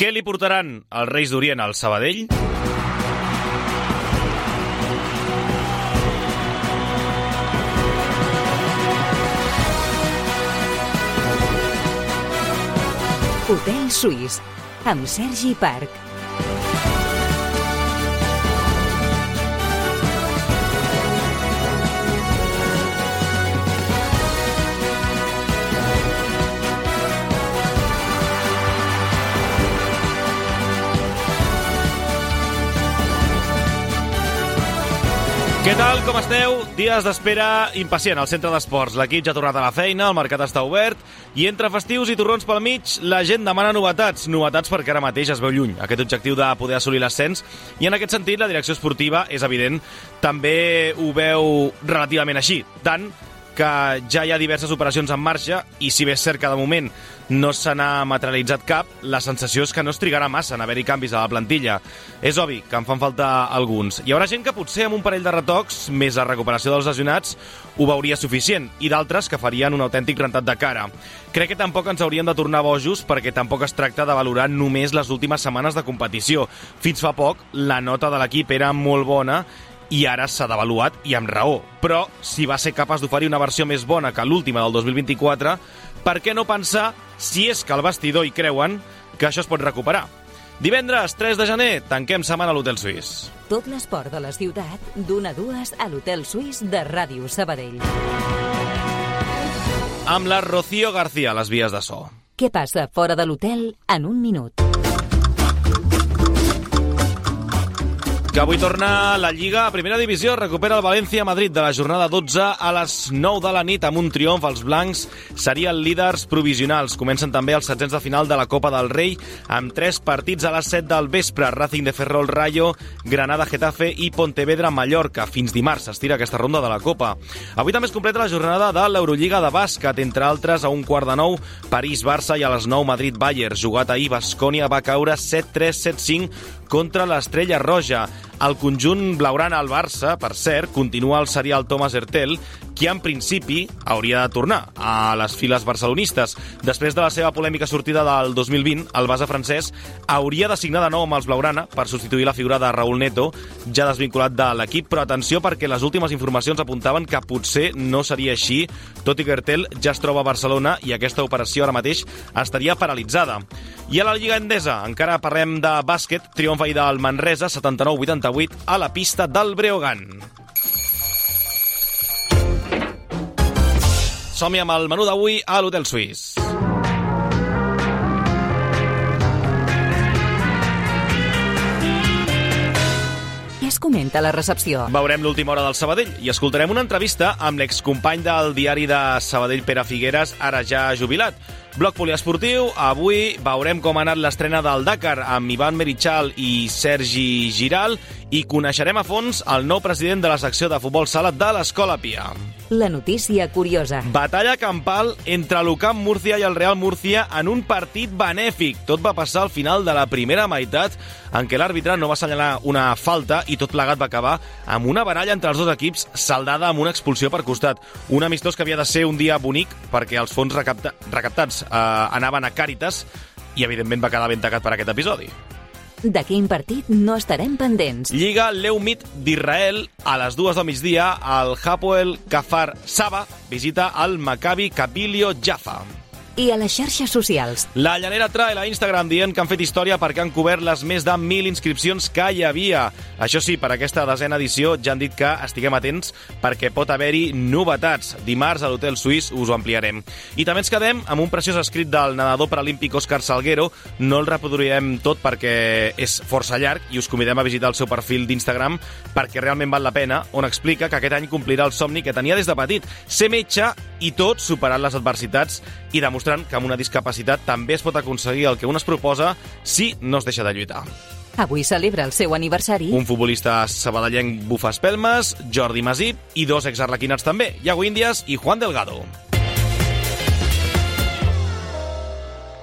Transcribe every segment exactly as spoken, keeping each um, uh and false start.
Què li portaran els Reis d'Orient al Sabadell? Hotel Suís, amb Sergi Parc. Què tal, com esteu? Dies d'espera impacient al centre d'esports. L'equip ja ha tornat a la feina, el mercat està obert i entre festius i torrons pel mig la gent demana novetats. Novetats perquè ara mateix es veu lluny aquest objectiu de poder assolir l'ascens i en aquest sentit la direcció esportiva, és evident, també ho veu relativament així. Tant que ja hi ha diverses operacions en marxa i si bé és cert que de moment no se n'ha materialitzat cap, la sensació és que no es trigarà massa en haver-hi canvis a la plantilla. És obvi que en fan falta alguns. Hi haurà gent que potser amb un parell de retocs, més la recuperació dels lesionats, ho veuria suficient, i d'altres que farien un autèntic rentat de cara. Crec que tampoc ens hauríem de tornar bojos perquè tampoc es tracta de valorar només les últimes setmanes de competició. Fins fa poc, la nota de l'equip era molt bona i ara s'ha devaluat i amb raó. Però si va ser capaç d'oferir una versió més bona que l'última del dos mil vint-i-quatre, per què no pensar, si és que al vestidor hi creuen, que això es pot recuperar? Divendres, tres de gener, tanquem setmana a l'Hotel Suís. Tot l'esport de la ciutat, d'una a dues a l'Hotel Suís de Ràdio Sabadell. Amb la Rocío García a les vies de so. Què passa fora de l'hotel en un minut? Que avui torna la Lliga a Primera Divisió, recupera el València-Madrid de la jornada dotze a les nou de la nit amb un triomf. Els blancs serien líders provisionals. Comencen també els setzents de final de la Copa del Rei amb tres partits a les set del vespre. Racing de Ferrol Rayo, Granada-Getafe i Pontevedra-Mallorca. Fins dimarts s'estira aquesta ronda de la Copa. Avui també es completa la jornada de l'Eurolliga de bàsquet, entre altres a un quart de nou París-Barça i a les nou Madrid-Bayern. Jugat ahir, Baskonia va caure set tres set cinc contra l'Estrella Roja. El conjunt blaugrana al Barça, per cert, continua el serial Thomas Hertel, qui en principi hauria de tornar a les files barcelonistes. Després de la seva polèmica sortida del dos mil vint, el base francès hauria de signar de nou amb els blaugrana per substituir la figura de Raúl Neto, ja desvinculat de l'equip, però atenció perquè les últimes informacions apuntaven que potser no seria així, tot i que Hertel ja es troba a Barcelona i aquesta operació ara mateix estaria paralitzada. I a la Lliga Endesa, encara parlem de bàsquet, triomf ahir del Manresa, setanta-nou vuitanta-vuit, a la pista del Breogán. Som-hi amb el menú d'avui a l'Hotel Suís. Què es comenta a la recepció? Veurem l'última hora del Sabadell i escoltarem una entrevista amb l'excompany del diari de Sabadell, Pere Figueres, ara ja jubilat. Bloc poliesportiu, avui veurem com ha anat l'estrena del Dakar amb Ivan Merichal i Sergi Giral i coneixerem a fons el nou president de la secció de futbol sala de l'Escola Pia. La notícia curiosa. Batalla campal entre l'Ucamp Múrcia i el Real Múrcia en un partit benèfic. Tot va passar al final de la primera meitat en què l'àrbitre no va assenyalar una falta i tot plegat va acabar amb una baralla entre els dos equips saldada amb una expulsió per costat. Un amistós que havia de ser un dia bonic perquè els fons recapta- recaptats eh, anaven a Càritas i evidentment va quedar ben tacat per aquest episodi. De quin partit no estarem pendents? Lliga Leumit d'Israel a les dues del migdia al Hapoel Kfar Saba visita al Maccabi Kabilio Jaffa. I a les xarxes socials? La Llanera trae a Instagram dient que han fet història perquè han cobert les més de mil inscripcions que hi havia. Això sí, per aquesta desena edició ja han dit que estiguem atents perquè pot haver-hi novetats. Dimarts a l'Hotel Suís us ho ampliarem. I també ens quedem amb un preciós escrit del nedador paralímpic Òscar Salguero. No el reproduirem tot perquè és força llarg i us convidem a visitar el seu perfil d'Instagram perquè realment val la pena, on explica que aquest any complirà el somni que tenia des de petit, ser metge i tot superant les adversitats i demostrant que amb una discapacitat també es pot aconseguir el que un es proposa si no es deixa de lluitar. Avui celebra el seu aniversari Un futbolista sabadellenc bufa espelmes, Jordi Masip i dos exarlequinats també, Iago Índias i Juan Delgado.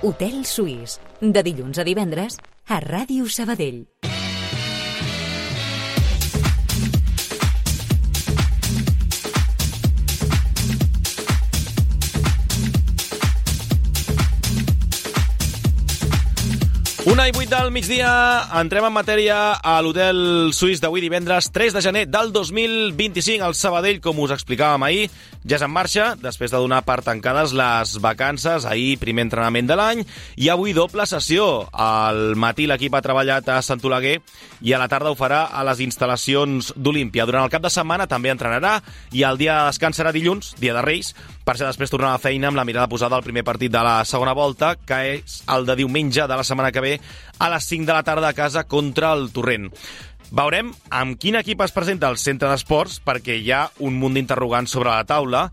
Hotel Suís, de dilluns a divendres a Ràdio Sabadell. Una i vuit del migdia, entrem en matèria a l'Hotel Suís d'avui divendres tres de gener del dos mil vint-i-cinc. El Sabadell, com us explicàvem ahir, ja és en marxa, després de donar per tancades les vacances. Ahir, primer entrenament de l'any, i avui doble sessió. Al matí l'equip ha treballat a Sant Oleguer i a la tarda ho farà a les instal·lacions d'Olímpia. Durant el cap de setmana també entrenarà i el dia de descans serà dilluns, dia de Reis, per ser després tornar a la feina amb la mirada posada al primer partit de la segona volta, que és el de diumenge de la setmana que ve a les cinc de la tarda a casa contra el Torrent. Veurem amb quin equip es presenta al centre d'esports, perquè hi ha un munt d'interrogants sobre la taula.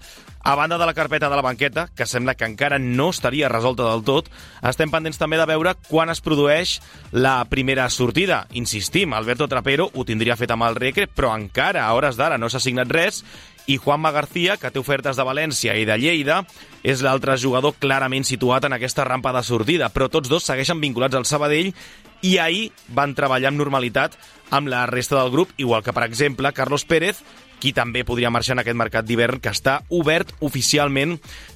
A banda de la carpeta de la banqueta, que sembla que encara no estaria resolta del tot, estem pendents també de veure quan es produeix la primera sortida. Insistim, Alberto Trapero ho tindria fet amb el Recre, però encara a hores d'ara no s'ha signat res, i Juanma García, que té ofertes de València i de Lleida, és l'altre jugador clarament situat en aquesta rampa de sortida, però tots dos segueixen vinculats al Sabadell i ahir van treballar amb normalitat amb la resta del grup, igual que, per exemple, Carlos Pérez, qui també podria marxar en aquest mercat d'hivern que està obert oficialment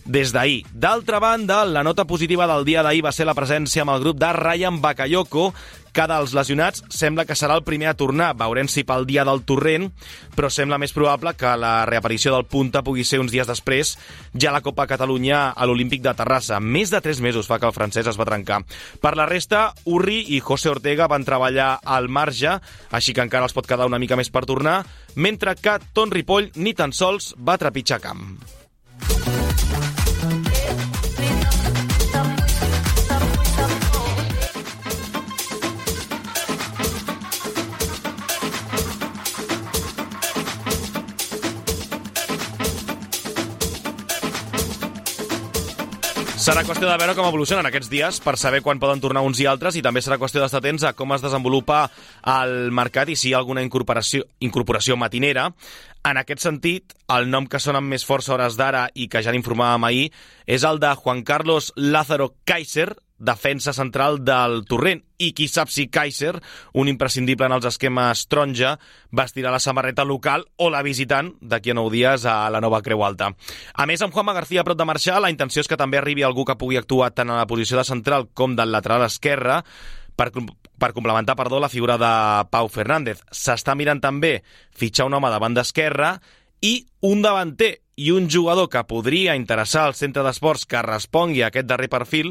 des d'ahir. D'altra banda, la nota positiva del dia d'ahir va ser la presència amb el grup de Ryan Bakayoko, que dels lesionats sembla que serà el primer a tornar. Veurem si pel dia del Torrent, però sembla més probable que la reaparició del punta pugui ser uns dies després, ja a la Copa Catalunya a l'Olímpic de Terrassa. Més de tres mesos fa que el francès es va trencar. Per la resta, Urri i José Ortega van treballar al marge, així que encara els pot quedar una mica més per tornar, mentre que Ton Ripoll ni tan sols va trepitjar camp. Serà qüestió de veure com evolucionen aquests dies per saber quan poden tornar uns i altres, i també serà qüestió d'estar atents a com es desenvolupa el mercat i si hi ha alguna incorporació, incorporació matinera. En aquest sentit, el nom que sona amb més força a hores d'ara i que ja n'informàvem ahir és el de Juan Carlos Lázaro Kaiser, defensa central del Torrent, i qui sap si Kaiser, un imprescindible en els esquemes taronja, vestirà la samarreta local o la visitant d'aquí a nou dies a la nova Creu Alta. A més, amb Juanma García a prop de marxar, la intenció és que també arribi algú que pugui actuar tant a la posició de central com del lateral esquerre per, per complementar perdó, la figura de Pau Fernández. S'està mirant també fitxar un home de banda esquerra i un davanter, i un jugador que podria interessar al centre d'esports que respongui a aquest darrer perfil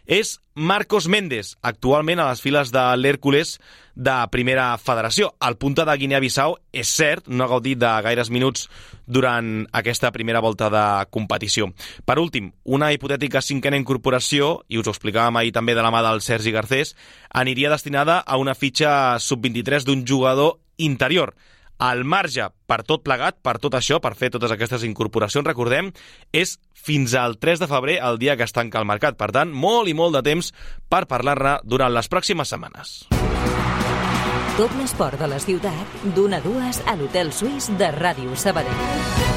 és Marcos Méndez, actualment a les files de l'Hèrcules de Primera Federació. El punta de Guinea-Bissau, és cert, no ha gaudit de gaires minuts durant aquesta primera volta de competició. Per últim, una hipotètica cinquena incorporació, i us ho explicàvem ahir també de la mà del Sergi Garcés, aniria destinada a una fitxa sub vint-i-tres d'un jugador interior. El marge per tot plegat, per tot això, per fer totes aquestes incorporacions, recordem, és fins al tres de febrer, el dia que es tanca el mercat. Per tant, molt i molt de temps per parlar-ne durant les pròximes setmanes. Tot l'esport de la ciutat, d'una a dues a l'Hotel Suís de Ràdio Sabadell.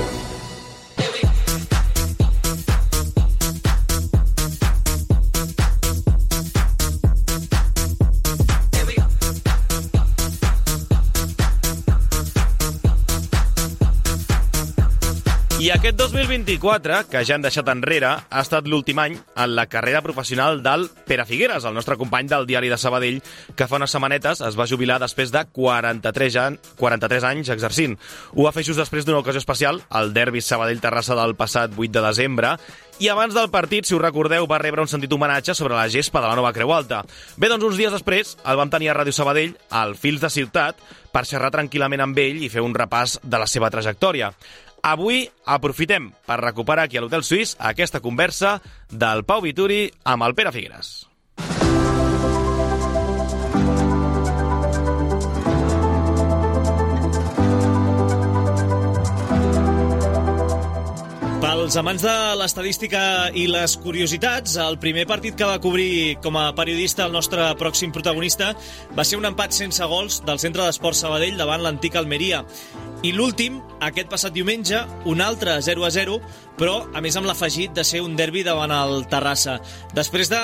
I aquest dos mil vint-i-quatre, que ja hem deixat enrere, ha estat l'últim any en la carrera professional del Pere Figueres, el nostre company del Diari de Sabadell, que fa unes setmanetes es va jubilar després de quaranta-tres anys exercint. Ho va fer just després d'una ocasió especial, el derbi Sabadell-Terrassa del passat vuit de desembre, i abans del partit, si us recordeu, va rebre un sentit homenatge sobre la gespa de la nova Creu Alta. Bé, doncs uns dies després el vam tenir a Ràdio Sabadell, al Fils de Ciutat, per xerrar tranquil·lament amb ell i fer un repàs de la seva trajectòria. Avui aprofitem per recuperar aquí a l'Hotel Suís aquesta conversa del Pau Vituri amb el Pere Figueres. Pels amants de l'estadística i les curiositats, el primer partit que va cobrir com a periodista el nostre pròxim protagonista va ser un empat sense gols del Centre d'Esports Sabadell davant l'antic Almeria. I l'últim, aquest passat diumenge, un altre zero a zero, però a més amb l'afegit de ser un derbi davant el Terrassa. Després de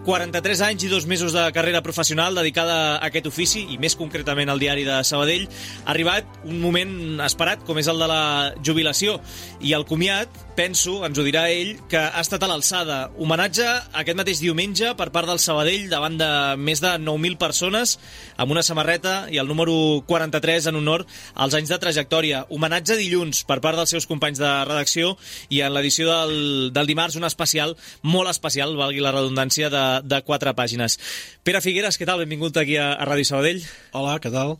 quaranta-tres anys i dos mesos de carrera professional dedicada a aquest ofici, i més concretament al Diari de Sabadell, ha arribat un moment esperat, com és el de la jubilació. I el comiat pensa penso, ens ho dirà ell, que ha estat a l'alçada. Homenatge aquest mateix diumenge per part del Sabadell davant de més de nou mil persones amb una samarreta i el número quaranta-tres en honor als anys de trajectòria. Homenatge dilluns per part dels seus companys de redacció i en l'edició del, del dimarts un especial, molt especial, valgui la redundància, de, de quatre pàgines. Pere Figueres, què tal? Benvingut aquí a, a Ràdio Sabadell. Hola, què tal?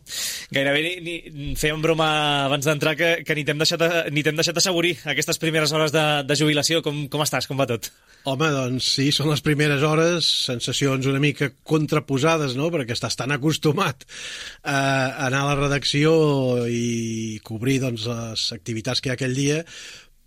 Gairebé ni, ni, fèiem broma abans d'entrar que, que ni t'hem deixat, ni t'hem deixat assaborir aquestes primeres hores de, de jubilació. Com, com estàs? Com va tot? Home, doncs sí, són les primeres hores, sensacions una mica contraposades, no?, perquè estàs tan acostumat a anar a la redacció i cobrir, doncs, les activitats que hi ha aquell dia,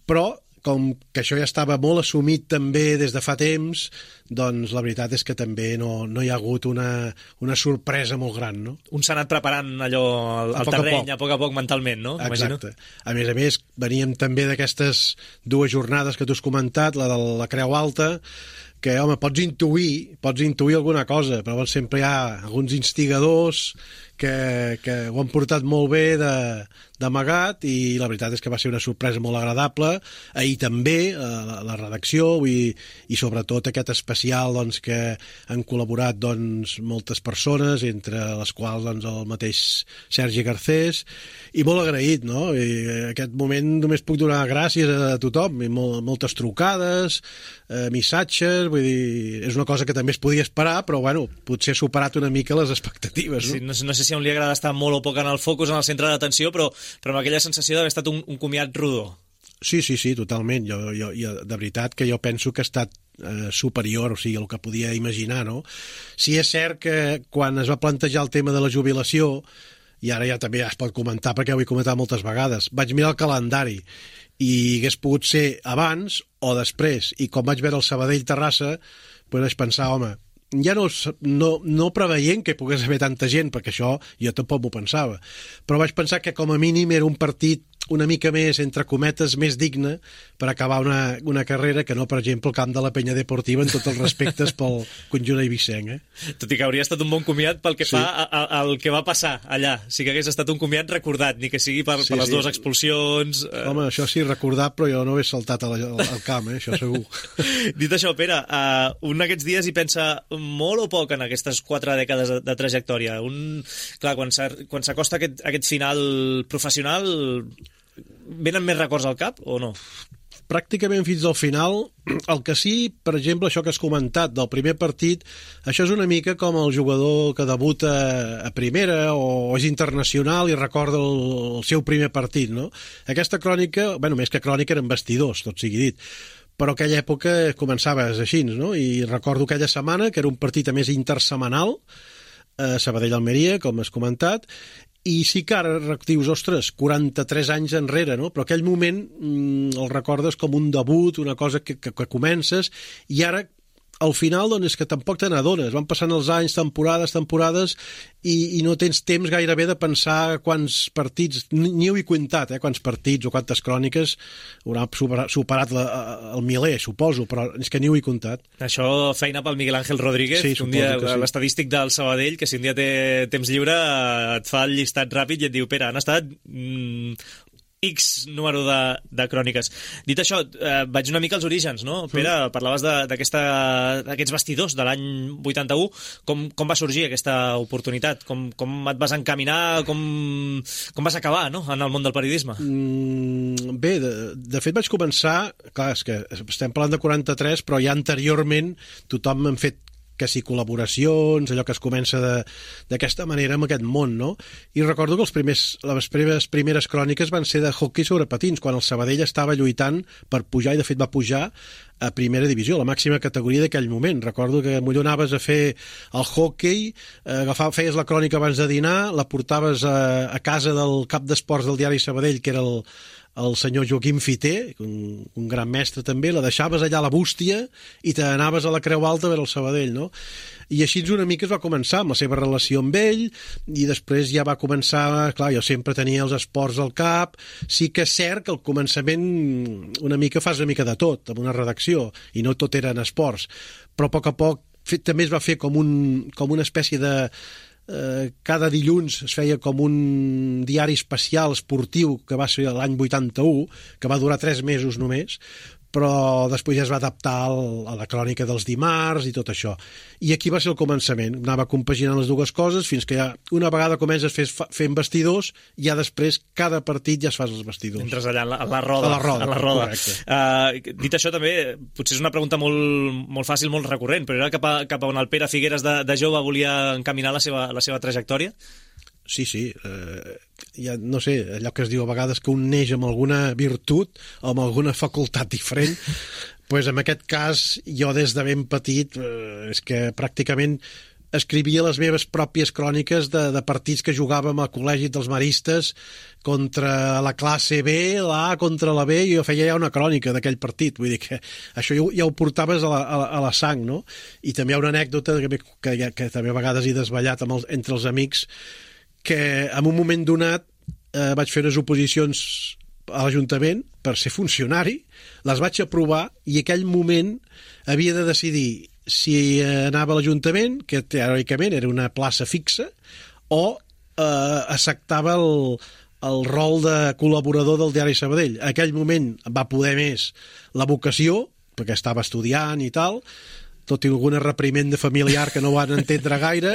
però com que això ja estava molt assumit també des de fa temps, doncs la veritat és que també no, no hi ha hagut una, una sorpresa molt gran, no? Un s'ha anat preparant allò al, al terreny, a poc. a poc a poc mentalment, no? Exacte. Imagino. A més a més, veníem també d'aquestes dues jornades que tu has comentat, la de la Creu Alta, que, home, pots intuir, pots intuir alguna cosa, però sempre hi ha alguns instigadors que, que ho han portat molt bé d'amagat i la veritat és que va ser una sorpresa molt agradable. Ahir també, la, la redacció i, i sobretot aquest especial doncs, que han col·laborat doncs, moltes persones, entre les quals doncs, el mateix Sergi Garcés, i molt agraït, no? I en aquest moment només puc donar gràcies a tothom, i molt, moltes trucades, eh, missatges, vull dir, és una cosa que també es podia esperar, però bueno, potser ha superat una mica les expectatives, no? Sí, no, no sé si a un li agrada estar molt o poc en el focus, en el centre d'atenció, però, però amb aquella sensació d'haver estat un, un comiat rodó. Sí, sí, sí, totalment. Jo, jo, jo, de veritat que jo penso que ha estat eh, superior, o sigui, el que podia imaginar, no? Sí, és cert que quan es va plantejar el tema de la jubilació, i ara ja també es pot comentar perquè ho he comentat moltes vegades, vaig mirar el calendari i hagués pogut ser abans o després, i com vaig veure el Sabadell-Terrassa, doncs vaig pensar, home, ja no, no, no preveient que pogués haver tanta gent, perquè això jo tampoc m'ho pensava, però vaig pensar que com a mínim era un partit una mica més, entre cometes, més digne per acabar una, una carrera que no, per exemple, el camp de la Penya Deportiva, en tots els respectes pel conjunt eivissenc, eh? Tot i que hauria estat un bon comiat pel que sí. fa al que va passar allà. Sí que hagués estat un comiat recordat, ni que sigui per, sí, per les sí. dues expulsions. Home, això sí, recordat, però jo no he saltat al, al camp, eh? Això segur. Dit això, Pere, uh, un d'aquests dies hi pensa molt o poc en aquestes quatre dècades de, de trajectòria. Un, clar, quan s'acosta aquest, aquest final professional, venen més records al cap o no? Pràcticament fins al final. El que sí, per exemple, això que has comentat del primer partit, això és una mica com el jugador que debuta a primera o és internacional i recorda el, el seu primer partit, no? Aquesta crònica, bueno, més que crònica eren vestidors, tot sigui dit, però aquella època començaves així, no? I recordo aquella setmana, que era un partit a més intersemanal, a Sabadell-Almeria, com has comentat, i sí que ara dius, ostres, quaranta-tres anys enrere, no? Però aquell moment mmm, el recordes com un debut, una cosa que, que, que comences, i ara al final doncs, és que tampoc te n'adones. Van passant els anys, temporades, temporades, i, i no tens temps gairebé de pensar quants partits, ni, ni ho he comptat, eh, quants partits o quantes cròniques haurà superat, superat la, el miler, suposo, però és que ni ho he comptat. Això feina pel Miguel Ángel Rodríguez, sí, un dia, sí. l'estadístic del Sabadell, que si un dia té temps lliure et fa el llistat ràpid i et diu, Pere, han estat... Mm, X número de, de cròniques. Dit això, eh, vaig una mica als orígens, no? Pere, mm. parlaves d'aquests vestidors de l'any vuitanta-u. Com, com va sorgir aquesta oportunitat? Com, com et vas encaminar? Com, com vas acabar, no?, en el món del periodisme? Mm, bé, de, de fet vaig començar... Clar, és que estem parlant de quaranta-tres, però ja anteriorment tothom m'ha fet que si col·laboracions, allò que es comença d'aquesta manera amb aquest món, no? I recordo que els primers, les primeres, primeres cròniques van ser de hoquei sobre patins, quan el Sabadell estava lluitant per pujar, i de fet va pujar a primera divisió, la màxima categoria d'aquell moment. Recordo que millor anaves a fer el hoquei, agafar, feies la crònica abans de dinar, la portaves a, a casa del cap d'esports del diari Sabadell, que era el el senyor Joaquim Fiter, un, un gran mestre també, la deixaves allà a la bústia i te n'anaves a la Creu Alta a veure el Sabadell, no? I així una mica es va començar amb la seva relació amb ell, i després ja va començar, clar, jo sempre tenia els esports al cap. Sí que és cert que al començament una mica fas una mica de tot, amb una redacció, i no tot eren esports, però a poc a poc també es va fer com, un, com una espècie de... Eh, cada dilluns es feia com un diari especial esportiu que va ser l'any vuitanta-u, que va durar tres mesos només, però després ja es va adaptar al, a la crònica dels dimarts i tot això. I aquí va ser el començament. Anava compaginant les dues coses fins que ja una vegada comences fent, fent vestidors, ja després cada partit ja es fas els vestidors. Entres allà en la, en la roda. A la roda, a la roda. Uh, dit això també, potser és una pregunta molt, molt fàcil, molt recurrent, però era cap a, cap a on el Pere Figueres de, de jove volia encaminar la seva, la seva trajectòria? Sí, sí, eh, ja no sé, allò que es diu a vegades que un neix amb alguna virtut o amb alguna facultat diferent, pues en aquest cas jo des de ben petit eh, és que pràcticament escrivia les meves pròpies cròniques de, de partits que jugàvem al col·legi dels maristes contra la classe B, la A contra la B, i jo feia ja una crònica d'aquell partit, vull dir que això ja, ja ho portaves a la, a, la, a la sang, no? I també hi ha una anècdota que, que, que també a vegades he desvetllat amb els, entre els amics, que en un moment donat eh, vaig fer unes oposicions a l'Ajuntament per ser funcionari, les vaig aprovar i aquell moment havia de decidir si anava a l'Ajuntament, que teòricament era una plaça fixa, o eh, acceptava el, el rol de col·laborador del Diari Sabadell. En aquell moment va poder més la vocació, perquè estava estudiant i tal, tot i algun reprimenda familiar que no van entendre gaire,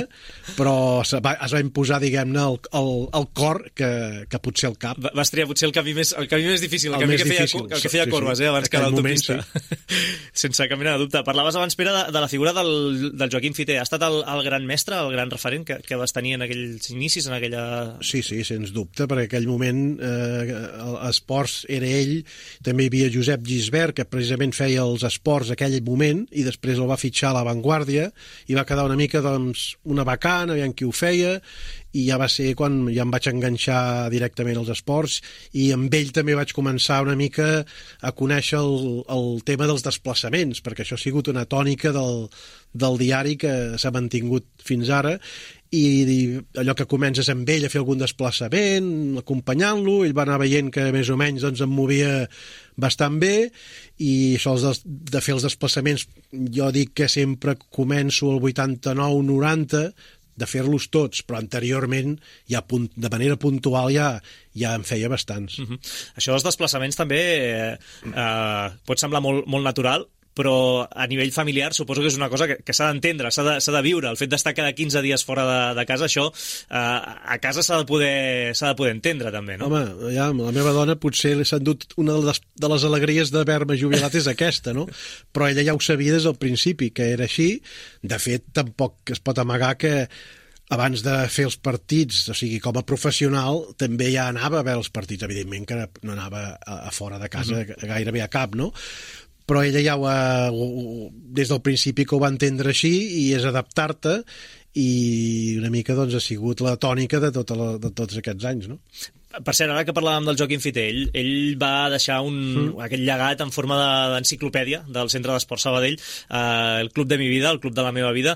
però es va, es va imposar, diguem-ne, el, el, el cor que, que potser el cap. Vas triar potser el camí més, el camí més difícil, el, el camí que feia, difícil. el que feia sí, Corbes, sí. eh, abans que l'autopista. Sí. Sense cap mena de dubte. Parlaves abans, Pere, de, de la figura del, del Joaquim Fiter. Ha estat el, el gran mestre, el gran referent que, que vas tenir en aquells inicis, en aquella... Sí, sí, sens dubte, perquè en aquell moment eh, esports era ell, també hi havia Josep Gisbert, que precisament feia els esports aquell moment, i després el va fitxar a l'Avantguàrdia i va quedar una mica, doncs, una vacant, aviam qui ho feia, i ja va ser quan ja em vaig enganxar directament als esports, i amb ell també vaig començar una mica a conèixer el, el tema dels desplaçaments, perquè això ha sigut una tònica del, del diari que s'ha mantingut fins ara, i, i allò que comences amb ell a fer algun desplaçament, acompanyant-lo, ell va anar veient que més o menys doncs, em movia bastant bé, i això de fer els desplaçaments, jo dic que sempre començo al vuitanta-nou noranta de fer-los tots, però anteriorment ja de manera puntual ja, ja en feia bastants. Uh-huh. Això dels desplaçaments també eh, eh, pot semblar molt, molt natural, però a nivell familiar suposo que és una cosa que, que s'ha d'entendre, s'ha de, s'ha de viure. El fet d'estar cada quinze dies fora de, de casa, això eh, a casa s'ha de poder s'ha de poder entendre també, no? Home, ja, la meva dona potser s'ha endut una de les, de les alegries d'haver-me jubilat és aquesta, no? Però ella ja ho sabia des del principi, que era així. De fet, tampoc es pot amagar que abans de fer els partits, o sigui, com a professional, també ja anava a veure els partits. Evidentment que no anava a, a fora de casa mm-hmm. gairebé a cap, no? Però ella ja ho ha, des del principi que ho va entendre així, i és adaptar-te, i una mica doncs, ha sigut la tònica de, tota la, de tots aquests anys, no? Per cert, ara que parlàvem del Joaquim Fiter, ell, ell va deixar un, mm. aquest llegat en forma d'enciclopèdia del Centre d'Esport Sabadell, eh, el Club de mi vida, el Club de la meva vida.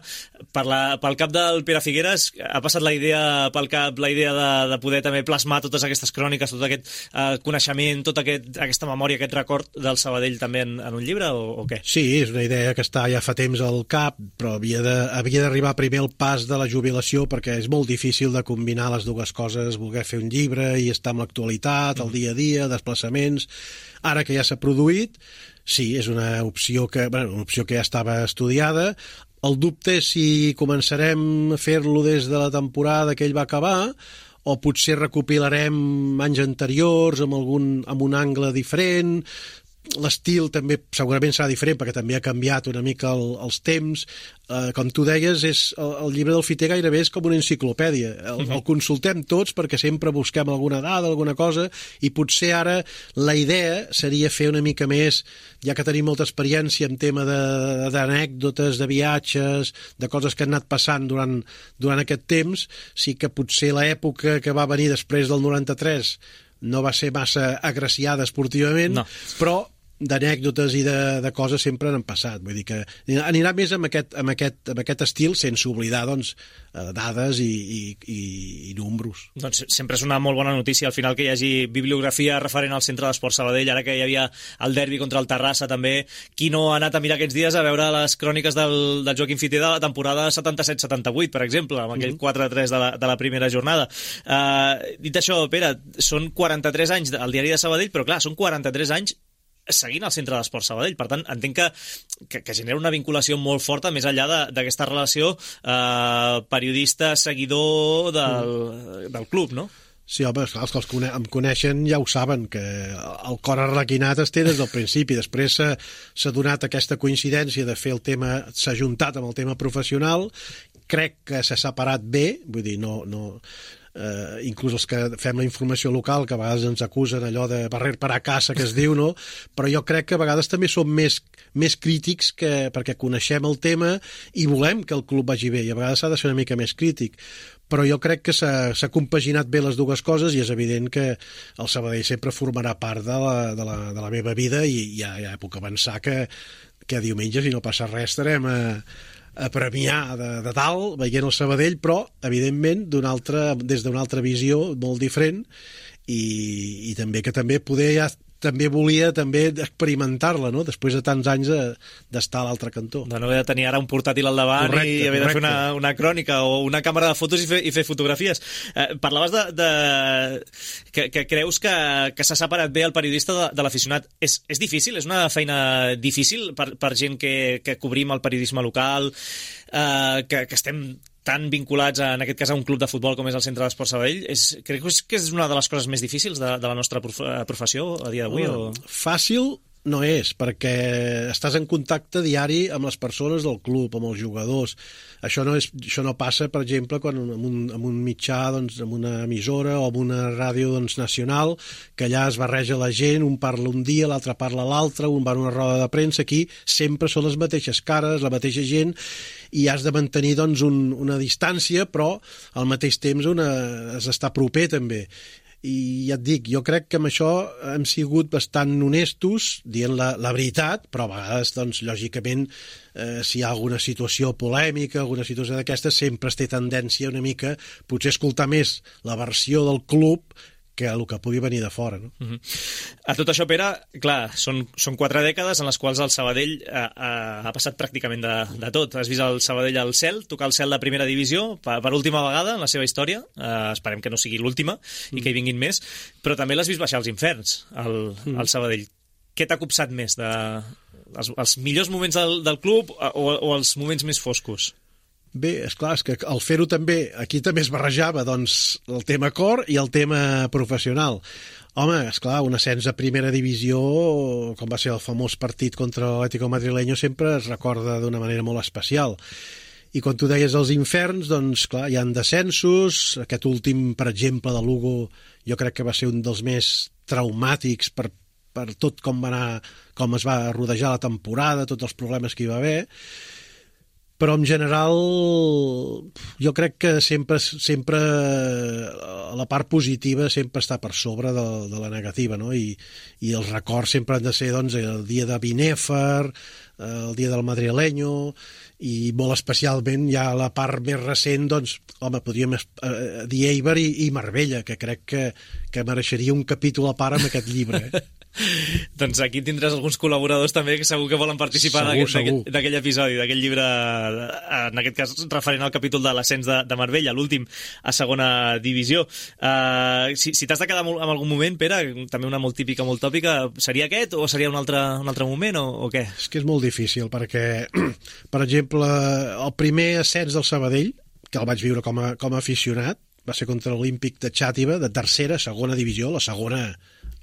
Per la, pel cap del Pere Figueres ha passat la idea pel cap la idea de, de poder també plasmar totes aquestes cròniques, tot aquest eh, coneixement, tota aquest, aquesta memòria, aquest record del Sabadell també en, en un llibre, o, o què? Sí, és una idea que està ja fa temps al cap, però havia de, havia d'arribar primer el pas de la jubilació, perquè és molt difícil de combinar les dues coses, voler fer un llibre i estar amb l'actualitat, el dia a dia, desplaçaments. Ara que ja s'ha produït, sí, és una opció que, bueno, una opció que ja estava estudiada. El dubte és si començarem a fer-lo des de la temporada que ell va acabar, o potser recopilarem anys anteriors amb, algun, amb un angle diferent. L'estil també segurament serà diferent, perquè també ha canviat una mica el, els temps. Eh, com tu deies, és, el, el llibre del Fiter gairebé és com una enciclopèdia. El, uh-huh. el consultem tots perquè sempre busquem alguna dada, alguna cosa, i potser ara la idea seria fer una mica més, ja que tenim molta experiència en tema d'anècdotes, de, de viatges, de coses que han anat passant durant, durant aquest temps, sí que potser l'època que va venir després del noranta-tres no va ser massa agraciada esportivament, no. Però d'anècdotes i de, de coses sempre n'han passat. Vull dir que anirà més amb aquest, amb aquest, amb aquest estil, sense oblidar doncs, dades i, i, i, i números. Doncs sempre és una molt bona notícia al final que hi hagi bibliografia referent al Centre d'Esport Sabadell, ara que hi havia el derbi contra el Terrassa també. Qui no ha anat a mirar aquests dies a veure les cròniques del, del Joaquim Fiter de la temporada setanta-set setanta-vuit, per exemple, amb aquell quatre a tres de la, de la primera jornada. Uh, dit això, Pere, són quaranta-tres anys al Diari de Sabadell, però clar, són quaranta-tres anys seguint el Centre d'Esport Sabadell. Per tant, entenc que, que, que genera una vinculació molt forta més enllà d'aquesta relació eh, periodista-seguidor del, del club, no? Sí, home, els que els cone em coneixen ja ho saben, que el cor arlequinat es té des del principi. Després s'ha donat aquesta coincidència de fer el tema, s'ha juntat amb el tema professional, crec que s'ha separat bé, vull dir, no... no Uh, inclús els que fem la informació local, que a vegades ens acusen allò de barrer per a casa, que es diu, no? Però jo crec que a vegades també som més, més crítics que, perquè coneixem el tema i volem que el club vagi bé, i a vegades s'ha de ser una mica més crític. Però jo crec que s'ha compaginat bé les dues coses i és evident que el Sabadell sempre formarà part de la, de la, de la meva vida i ja, ja puc avançar que, que diumenge, si no passa res, estarem a a premiar de, de dalt, veient el Sabadell, però, evidentment, altra, des d'una altra visió molt diferent i, i també que també poder ja també volia també experimentar-la, no? Després de tants anys d'estar a l'altre cantó. De no haver de tenir ara un portàtil al davant correcte, i haver correcte. de fer una, una crònica o una càmera de fotos i fer, i fer fotografies. Eh, parlaves de, de que, que creus que, que s'ha separat bé el periodista de, de l'aficionat. És, és difícil? És una feina difícil per, per gent que, que cobrim el periodisme local, eh, que, que estem tan vinculats, a, en aquest cas, a un club de futbol com és el Centre d'Esport Sabadell? És, crec que és una de les coses més difícils de, de la nostra prof, professió a dia d'avui? Oh, o... Fàcil no és, perquè estàs en contacte diari amb les persones del club, amb els jugadors. Això no, és, això no passa, per exemple, quan amb un, amb un mitjà, doncs, amb una emissora o amb una ràdio doncs, nacional, que allà es barreja la gent, un parla un dia, l'altre parla l'altre, un va a una roda de premsa. Aquí sempre són les mateixes cares, la mateixa gent, i has de mantenir doncs, un, una distància, però al mateix temps una, has d'estar proper també. I ja et dic, jo crec que amb això hem sigut bastant honestos, dient la, la veritat, però a vegades, doncs, lògicament, eh, si hi ha alguna situació polèmica, alguna situació d'aquesta, sempre es té tendència una mica, potser escoltar més la versió del club que el que pugui venir de fora, no? Uh-huh. A tot això, Pere, clar, són, són quatre dècades en les quals el Sabadell ha, ha, ha passat pràcticament de, de tot. Has vist el Sabadell al cel, tocar el cel de primera divisió per, per última vegada en la seva història. Uh, esperem que no sigui l'última mm. i que hi vinguin més. Però també l'has vist baixar als inferns, el, mm. el Sabadell. Què t'ha copsat més? De, els, els millors moments del, del club o, o els moments més foscos? Bé, esclar, és que al fer-ho també, aquí també es barrejava doncs, el tema cor i el tema professional. Home, esclar, un ascens a primera divisió, com va ser el famós partit contra l'Atlético Madrileño, sempre es recorda d'una manera molt especial. I quan tu deies els inferns, doncs, clar, hi ha descensos. Aquest últim, per exemple, de Lugo, jo crec que va ser un dels més traumàtics per, per tot com va anar, com es va rodejar la temporada, tots els problemes que hi va haver. Però en general jo crec que sempre, sempre la part positiva sempre està per sobre de, de la negativa, no? I, i els records sempre han de ser doncs, el dia de Binèfar, el dia del Madrileño, i molt especialment ja la part més recent, doncs, home, podríem eh, dir Eibar i, i Marbella, que crec que, que mereixeria un capítol a part amb aquest llibre, eh? Doncs aquí tindràs alguns col·laboradors també que segur que volen participar d'aquell episodi, d'aquell llibre, en aquest cas referent al capítol de l'ascens de, de Marbella, l'últim a segona divisió. Uh, si si t'has de quedar en algun moment, Pere, també una molt típica, molt tòpica, seria aquest o seria un altre, un altre moment o, o què? És que és molt difícil perquè, per exemple, el primer ascens del Sabadell, que el vaig viure com a, com a aficionat, va ser contra l'Olímpic de Xàtiva, de tercera, segona divisió, la segona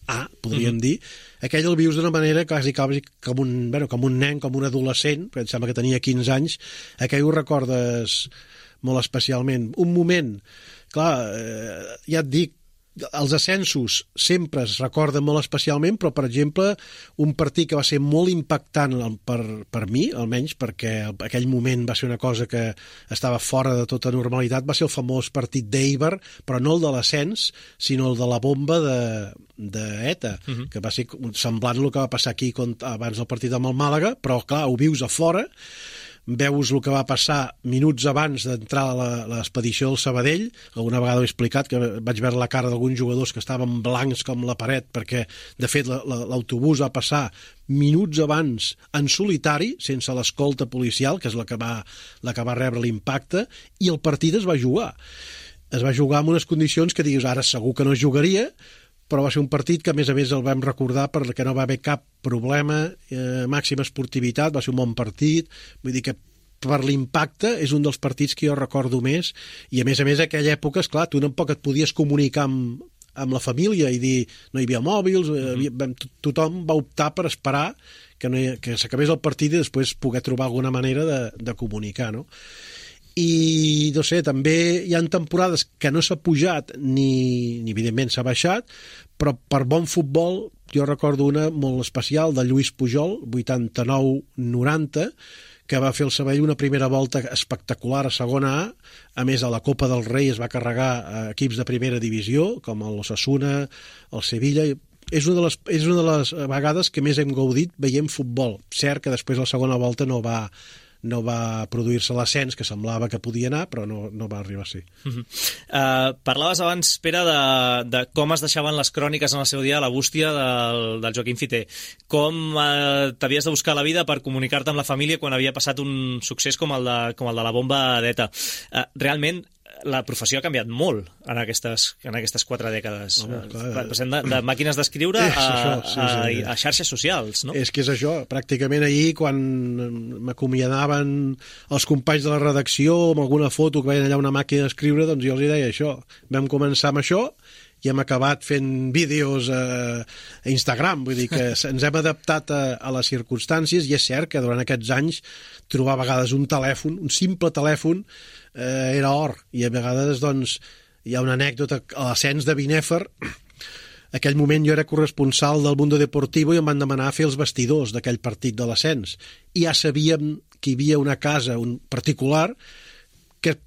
A, podríem mm-hmm. dir. Aquell el vius d'una manera quasi, quasi com, un, bueno, com un nen, com un adolescent, perquè em sembla que tenia quinze anys. Aquell ho recordes molt especialment. Un moment, clar, eh, ja et dic, els ascensos sempre es recorden molt especialment, però, per exemple, un partit que va ser molt impactant per, per mi, almenys, perquè aquell moment va ser una cosa que estava fora de tota normalitat, va ser el famós partit d'Eibar, però no el de l'ascens, sinó el de la bomba de, de ETA, uh-huh. que va ser semblant el que va passar aquí abans del partit amb el Màlaga, però, clar, ho vius a fora, veus el que va passar minuts abans d'entrar a l'expedició del Sabadell. Alguna vegada ho he explicat, que vaig veure la cara d'alguns jugadors que estaven blancs com la paret, perquè, de fet, l'autobús va passar minuts abans en solitari, sense l'escolta policial, que és la que va, la que va rebre l'impacte, i el partit es va jugar. Es va jugar en unes condicions que digues, ara segur que no es jugaria, però va ser un partit que a més a més el vam recordar perquè no va haver cap problema, eh, màxima esportivitat, va ser un bon partit, vull dir que per l'impacte és un dels partits que jo recordo més, i a més a més a aquella època, esclar, tu tampoc et podies comunicar amb, amb la família i dir, no hi havia mòbils, mm-hmm. tothom va optar per esperar que, no hi, que s'acabés el partit i després poder trobar alguna manera de, de comunicar, no? I, no sé, també hi ha temporades que no s'ha pujat ni, ni evidentment s'ha baixat, però per bon futbol jo recordo una molt especial de Lluís Pujol, vuitanta-nou noranta, que va fer el Sabadell una primera volta espectacular a segona A. A més, a la Copa del Rei es va carregar a equips de primera divisió, com l'Osasuna, el Sevilla. És una, de les, és una de les vegades que més hem gaudit veient futbol. Cert que després la segona volta no va, no va produir-se l'ascens que semblava que podia anar, però no, no va arribar a ser. Uh-huh. Uh, parlaves abans, Pere, de, de com es deixaven les cròniques en el seu dia a la bústia del, del Joaquim Fiter. Com uh, t'havies de buscar la vida per comunicar-te amb la família quan havia passat un succés com el de, com el de la bomba d'Eta. Uh, realment, la professió ha canviat molt en aquestes, en aquestes quatre dècades. Oh, clar, passem de, de màquines d'escriure a, això, sí, a, sí. a xarxes socials, no? És que és això. Pràcticament ahir, quan m'acomiadaven els companys de la redacció amb alguna foto que veien allà una màquina d'escriure, doncs jo els deia això. Vam començar amb això i hem acabat fent vídeos a, a Instagram. Vull dir que ens hem adaptat a, a les circumstàncies, i és cert que durant aquests anys trobar a vegades un telèfon, un simple telèfon, eh, era or. I a vegades, doncs, hi ha una anècdota a l'ascens de Binèfar. Aquell moment jo era corresponsal del Mundo Deportivo i em van demanar fer els vestidors d'aquell partit de l'ascens. I ja sabíem que hi havia una casa, un particular, que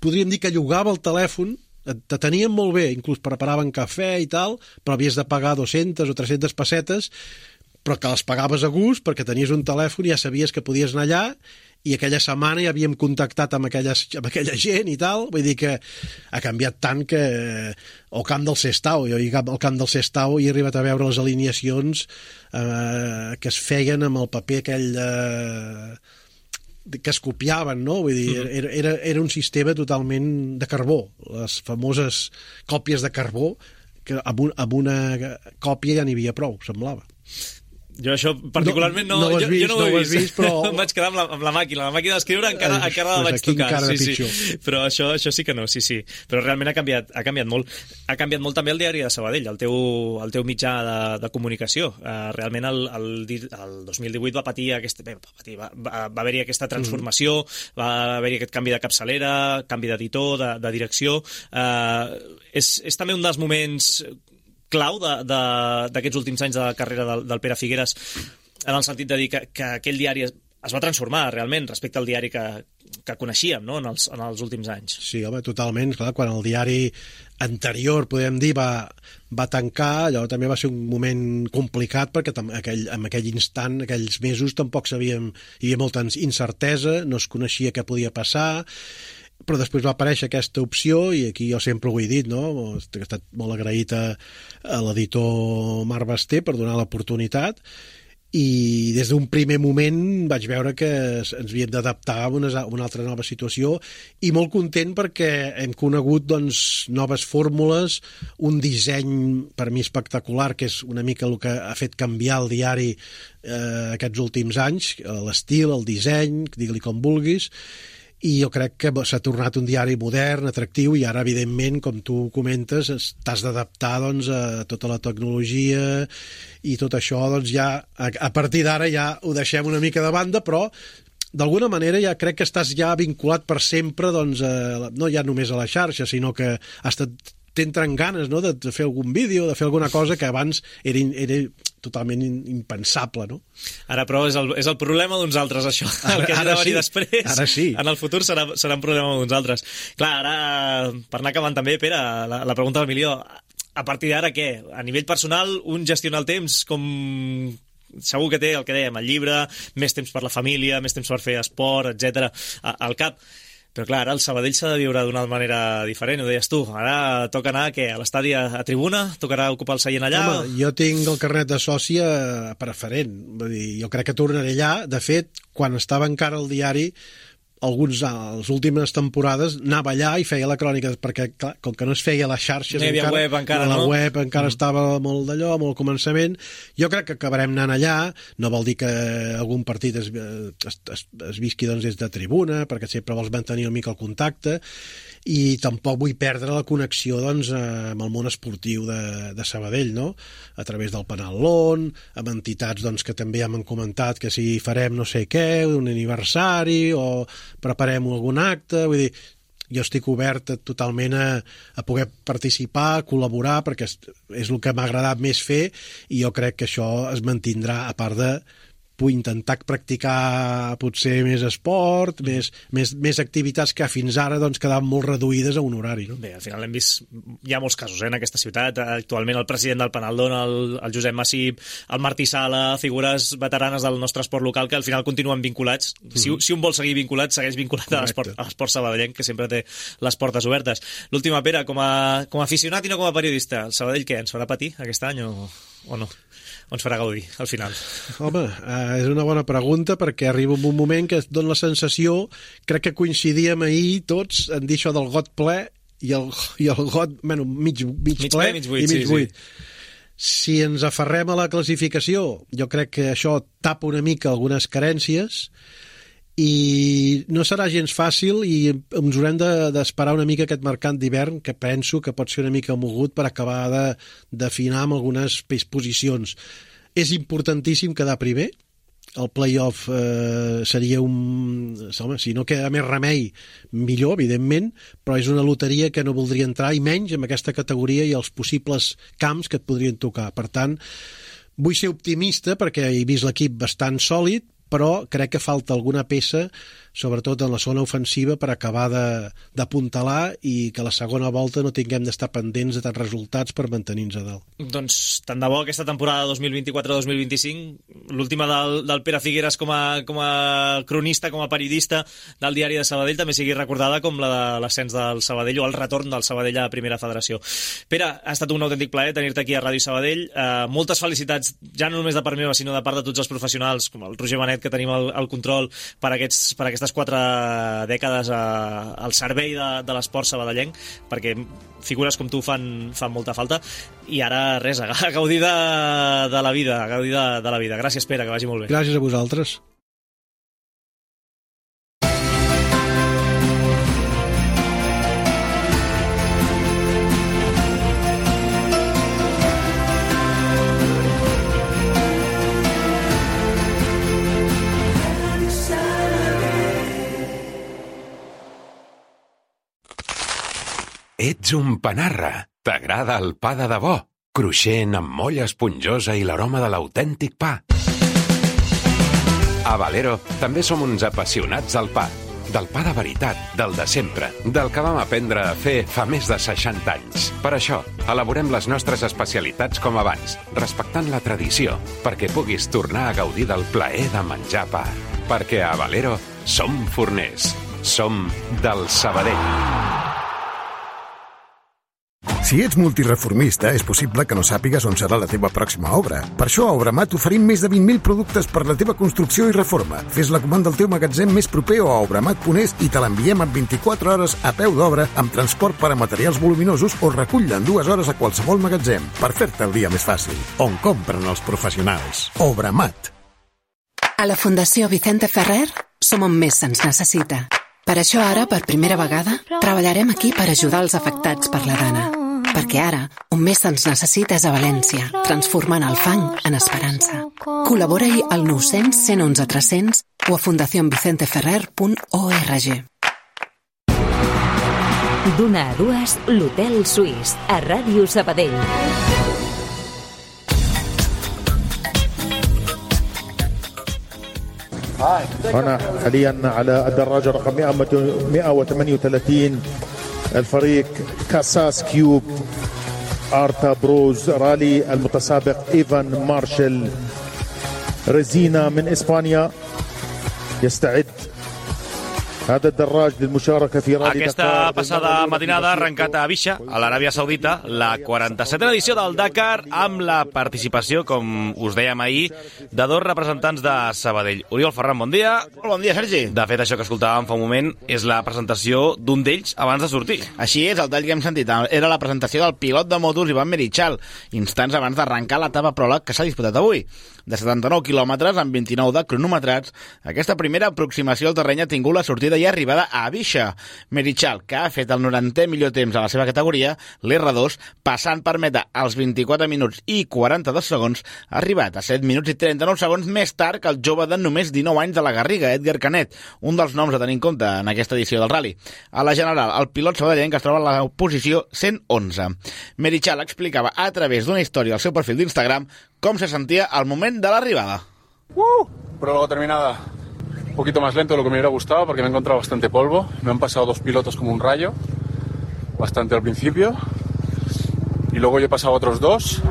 podríem dir que llogava el telèfon, te tenien molt bé, inclús preparaven cafè i tal, però havies de pagar dues-centes o tres-centes pessetes, però que les pagaves a gust perquè tenies un telèfon i ja sabies que podies anar allà, i aquella setmana ja havíem contactat amb, aquelles, amb aquella gent i tal. Vull dir que ha canviat tant que... O Camp del Sestao, jo al Camp del Sestao he arribat a veure les alineacions eh, que es feien amb el paper aquell de... que es copiaven, no? Vull dir, era, era, era un sistema totalment de carbó, les famoses còpies de carbó, que amb, un, amb una còpia ja n'hi havia prou, semblava. Jo això particularment no, no, no, jo, vist, jo no ho he no vist, vist però... em vaig quedar amb la, amb la màquina, la màquina d'escriure encara, eh, encara la vaig tocar, sí, sí. Però això, això sí que no, sí, sí. Però realment ha canviat, ha canviat molt. Ha canviat molt també el diari de Sabadell, el teu, el teu mitjà de, de comunicació. Uh, realment el, el, el dos mil divuit va patir aquesta, bé, va, patir, va, va, va haver-hi aquesta transformació, mm. va haver-hi aquest canvi de capçalera, canvi d'editor, de, de direcció. Uh, és, és també un dels moments clau d'aquests de, de, últims anys de la carrera del, del Pere Figueres, en el sentit de dir que, que aquell diari es, es va transformar realment respecte al diari que, que coneixíem, no? en, els, en els últims anys. Sí, home, totalment. Clar, quan el diari anterior, podem dir, va, va tancar, allò també va ser un moment complicat perquè aquell, en aquell instant, aquells mesos, tampoc sabíem, hi havia molta incertesa, no es coneixia què podia passar, però després va aparèixer aquesta opció i aquí jo sempre ho he dit, no? He estat molt agraït a, a l'editor Marc Basté per donar l'oportunitat, i des d'un primer moment vaig veure que ens havíem d'adaptar a una, a una altra nova situació, i molt content perquè hem conegut, doncs, noves fórmules, un disseny per mi espectacular, que és una mica el que ha fet canviar el diari eh, aquests últims anys, l'estil, el disseny, digue-li com vulguis, i jo crec que s'ha tornat un diari modern, atractiu, i ara, evidentment, com tu comentes, t'has d'adaptar, doncs, a tota la tecnologia i tot això, doncs, ja, a, a partir d'ara ja ho deixem una mica de banda, però d'alguna manera ja crec que estàs ja vinculat per sempre, doncs, a, no ja només a la xarxa, sinó que has t'entren ganes, no?, de fer algun vídeo, de fer alguna cosa que abans era, era totalment impensable, no? Ara, però, és el, és el problema d'uns altres, això. Ara, el que ha de venir sí. després, ara sí. En el futur serà, serà un problema d'uns altres. Clar, ara, per anar acabant també, Pere, la, la pregunta del milió, a partir d'ara què? A nivell personal, un gestiona el temps com... Segur que té el que dèiem, el llibre, més temps per la família, més temps per fer esport, etcètera, al cap. Però clar, ara el Sabadell s'ha de viure d'una manera diferent, ho deies tu. Ara toca anar què, a l'estadi a, a tribuna? Tocarà ocupar el seient allà? Home, jo tinc el carnet de sòcia preferent. Vull dir, jo crec que tornaré allà. De fet, quan estava encara al diari, alguns, a les últimes temporades, anava allà i feia la crònica, perquè, clar, com que no es feia a les xarxes... No hi havia encara, web encara, la no? La web encara mm. estava molt d'allò, molt al començament. Jo crec que acabarem anant allà, no vol dir que algun partit es, es, es, es visqui doncs, des de tribuna, perquè sempre vols mantenir una mica el contacte, i tampoc vull perdre la connexió doncs, amb el món esportiu de, de Sabadell, no? A través del Penal-Lon, amb entitats doncs, que també ja m'han comentat que si farem no sé què, un aniversari o preparem algun acte, vull dir, jo estic obert totalment a, a poder participar, col·laborar, perquè és, és el que m'ha agradat més fer, i jo crec que això es mantindrà, a part de puc intentar practicar potser més esport, mm. més, més, més activitats que fins ara doncs, quedaven molt reduïdes a un horari. No? Bé, al final hem vist, hi ha molts casos eh, en aquesta ciutat. Actualment el president del Penal-Lon, el, el Josep Massip, el Martí Sala, figures veteranes del nostre esport local que al final continuen vinculats. Mm. Si, si un vol seguir vinculat, segueix vinculat Correcte. a l'esport, a l'esport sabadellenc, que sempre té les portes obertes. L'última, Pere, com a, com a aficionat i no com a periodista, el Sabadell què, ens farà patir aquest any o, o no? O ens farà gaudir, al final? Home, eh, és una bona pregunta, perquè arriba un moment que es dona la sensació, crec que coincidíem ahir tots en dir això del got ple i el, i el got, bueno, mig, mig, mig ple, ple mig buit, i mig sí, buit. Sí. Si ens aferrem a la classificació, jo crec que això tapa una mica algunes carències, i no serà gens fàcil, i ens haurem d'esperar una mica aquest mercat d'hivern, que penso que pot ser una mica mogut per acabar de d'afinar amb algunes posicions. És importantíssim quedar primer, el play-off eh, seria un... Home, si no queda més remei, millor, evidentment, però és una loteria que no voldria entrar, i menys en aquesta categoria i els possibles camps que et podrien tocar. Per tant, vull ser optimista, perquè he vist l'equip bastant sòlid, però crec que falta alguna peça, sobretot en la zona ofensiva, per acabar d'apuntalar i que la segona volta no tinguem d'estar pendents de tants resultats per mantenir-nos a dalt. Doncs tant de bo aquesta temporada dos mil vint-i-quatre dos mil vint-i-cinc, l'última del, del Pere Figueres com a, com a cronista, com a periodista del diari de Sabadell, també sigui recordada com la de l'ascens del Sabadell o el retorn del Sabadell a la primera federació. Pere, ha estat un autèntic plaer tenir-te aquí a Ràdio Sabadell. Eh, moltes felicitats, ja no només de part meva, sinó de part de tots els professionals, com el Roger Benet, que tenim el, el control per, aquests, per aquestes quatre dècades a, al servei de, de l'esport sabadellenc, perquè figures com tu fan, fan molta falta, i ara res, a gaudir de, de la vida, a gaudir de, de la vida. Gràcies, Pere, que vagi molt bé. Gràcies a vosaltres. Ets un panarra. T'agrada el pa de debò, cruixent amb molla esponjosa i l'aroma de l'autèntic pa. A Valero també som uns apassionats del pa. Del pa de veritat, del de sempre, del que vam aprendre a fer fa més de seixanta anys. Per això, elaborem les nostres especialitats com abans, respectant la tradició, perquè puguis tornar a gaudir del plaer de menjar pa. Perquè a Valero som forners. Som del Sabadell. Si ets multireformista, és possible que no sàpigues on serà la teva pròxima obra. Per això a Obramat oferim més de vint mil productes per la teva construcció i reforma. Fes la comanda al teu magatzem més proper o a obramat punt es i te l'enviem en vint-i-quatre hores a peu d'obra amb transport per a materials voluminosos o recull-la en dues hores a qualsevol magatzem per fer-te el dia més fàcil. On compren els professionals. Obramat. A la Fundació Vicente Ferrer som on més se'ns necessita. Per això ara, per primera vegada, treballarem aquí per ajudar els afectats per la gana. Perquè ara, on més se'ns necessita és a València, transformant el fang en esperança. Col·labora-hi al nou cents, cent onze, tres cents o a fundación vicente ferrer punt org. D'una a dues, l'Hotel Suís, a Ràdio Sabadell. هنا حاليا على الدراجة رقم مئة وثمانية وثلاثين الفريق كاساس كيوب آرتا بروز رالي، المتسابق إيفان مارشال ريزينا من إسبانيا يستعد Aquesta passada matinada ha arrencat a Abisha, a l'Aràbia Saudita, la quaranta-setena edició del Dakar, amb la participació, com us dèiem ahir, de dos representants de Sabadell. Oriol Ferran, bon dia. Molt bon dia, Sergi. De fet, això que escoltàvem fa un moment és la presentació d'un d'ells abans de sortir. Així és, el tall que hem sentit era la presentació del pilot de motos Ivan Merichal, instants abans d'arrencar l'etapa pròleg que s'ha disputat avui. De setanta-nou quilòmetres amb vint-i-nou de cronometrats, aquesta primera aproximació al terreny ha tingut la sortida i arribada a Abisha. Merichal, que ha fet el norantè millor temps a la seva categoria, l'R dos, passant per meta als vint-i-quatre minuts i quaranta-dos segons, ha arribat a set minuts i trenta-nou segons més tard que el jove de només dinou anys de la Garriga, Edgar Canet, un dels noms a tenir en compte en aquesta edició del rally. A la general, el pilot sabadellenc es troba a la posició cent onze. Merichal explicava a través d'una història al seu perfil d'Instagram com se sentia al moment de l'arribada. ¡Uh! Prólogo terminada. Un poquito más lento de lo que me hubiera gustado porque me he encontrado bastante polvo. Me han pasado dos pilotos como un rayo, bastante al principio. Y luego yo he pasado otros dos.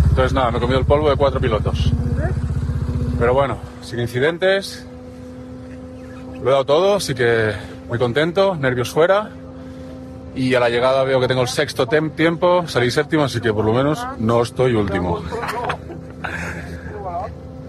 Entonces nada, me he comido el polvo de cuatro pilotos. Pero bueno, sin incidentes. Lo he dado todo, así que muy contento, nervios fuera. Y a la llegada veo que tengo el sexto tem- tiempo, salí séptimo, así que por lo menos no estoy último.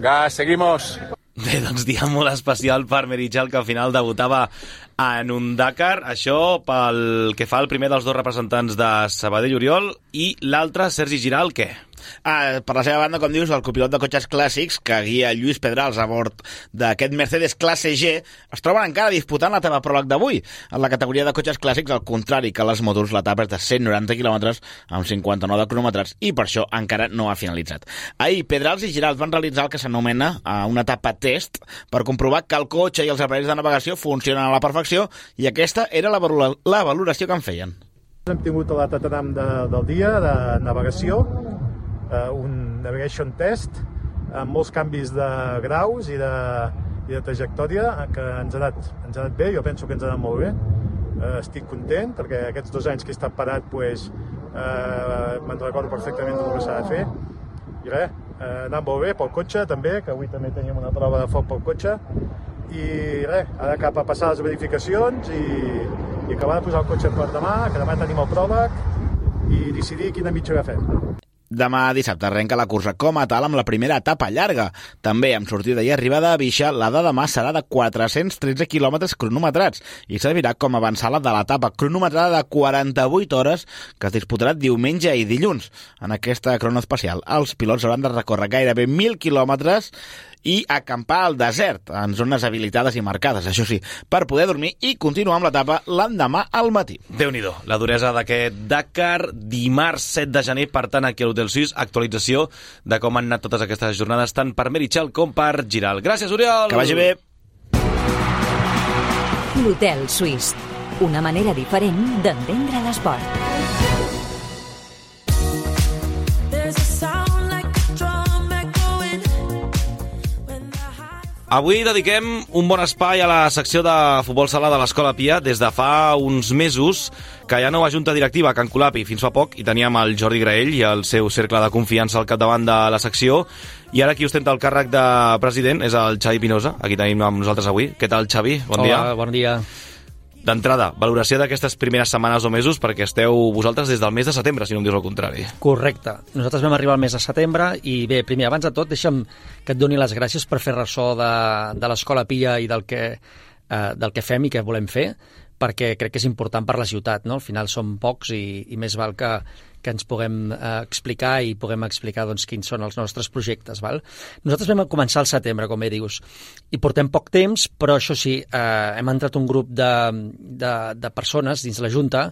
Gas, seguimos. Bé, doncs dia molt especial per Merichal, que al final debutava en un Dakar. Això pel que fa al primer dels dos representants de Sabadell, Oriol, i l'altre, Sergi Giral, què? Ah, per la seva banda, com dius, el copilot de cotxes clàssics que guia Lluís Pedrals a bord d'aquest Mercedes classe G es troben encara disputant l'etapa pròleg d'avui. En la categoria de cotxes clàssics, al contrari que les motos, l'etapa és de cent noranta quilòmetres amb cinquanta-nou de cronometrats i per això encara no ha finalitzat. Ahir, Pedrals i Giralt van realitzar el que s'anomena una etapa test per comprovar que el cotxe i els aparells de navegació funcionen a la perfecció i aquesta era la, valora- la valoració que en feien. Hem tingut el tatanam de, del dia de navegació, Uh, un navigation test amb molts canvis de graus i de, i de trajectòria que ens ha, anat, ens ha anat bé, jo penso que ens ha anat molt bé. Uh, estic content perquè aquests dos anys que he estat parat pues, uh, me'n recordo perfectament del que s'ha de fer i res, uh, anant molt bé pel cotxe també, que avui també teníem una prova de foc pel cotxe i res, ara cap a passar les verificacions i, i acabar de posar el cotxe per demà, que demà tenim el pròleg i decidir quina mitja agafem. Demà dissabte arrenca la cursa com a tal amb la primera etapa llarga. També amb sortida i arribada a Abisha, la de demà serà de quatre-cents tretze quilòmetres cronometrats i servirà com a avançada de l'etapa cronometrada de quaranta-vuit hores que es disputarà diumenge i dilluns. En aquesta crono especial, els pilots hauran de recórrer gairebé mil quilòmetres i acampar al desert, en zones habilitades i marcades, això sí, per poder dormir i continuar amb l'etapa l'endemà al matí. Déu-n'hi-do, la duresa d'aquest Dakar, dimarts set de gener, per tant, aquí a l'Hotel Suís, actualització de com han anat totes aquestes jornades, tant per Merichal com per Giral. Gràcies, Oriol! Que vagi bé! L'Hotel Suís, una manera diferent d'entendre l'esport. Avui dediquem un bon espai a la secció de futbol sala de l'Escola Pia. Des de fa uns mesos que hi ha nova junta directiva a Can Colapi. Fins fa poc hi teníem el Jordi Graell i el seu cercle de confiança al capdavant de la secció. I ara qui ostenta el càrrec de president és el Xavi Pinoza. Aquí tenim amb nosaltres avui. Què tal, Xavi? Bon Hola, dia. bon dia. D'entrada, valoració d'aquestes primeres setmanes o mesos, perquè esteu vosaltres des del mes de setembre, si no em dius el contrari. Correcte. Nosaltres vam arribar al mes de setembre i bé, primer, abans de tot, deixa'm que et doni les gràcies per fer ressò de, de l'Escola Pia i del que, eh, del que fem i que volem fer, perquè crec que és important per la ciutat, no? Al final som pocs i, i més val que, que ens puguem eh, explicar i puguem explicar doncs, quins són els nostres projectes. Val? Nosaltres vam començar al setembre, com bé dius, i portem poc temps, però això sí, eh, hem entrat un grup de, de, de persones dins la Junta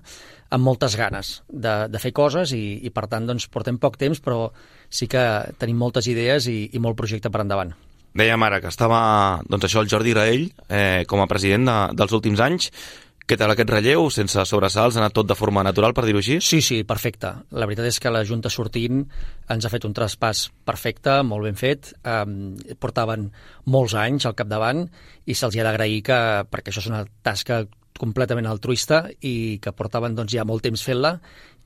amb moltes ganes de, de fer coses i, i per tant doncs, portem poc temps, però sí que tenim moltes idees i, i molt projecte per endavant. Dèiem ara que estava doncs, això el Jordi Graell eh, com a president de, dels últims anys. Què tal aquest relleu? Sense sobresalts, ha anat tot de forma natural, per dir-ho així? Sí, sí, perfecte. La veritat és que la Junta sortint ens ha fet un traspàs perfecte, molt ben fet. Eh, portaven molts anys al capdavant i se'ls ha d'agrair que, perquè això és una tasca completament altruista i que portaven doncs, ja molt temps fent-la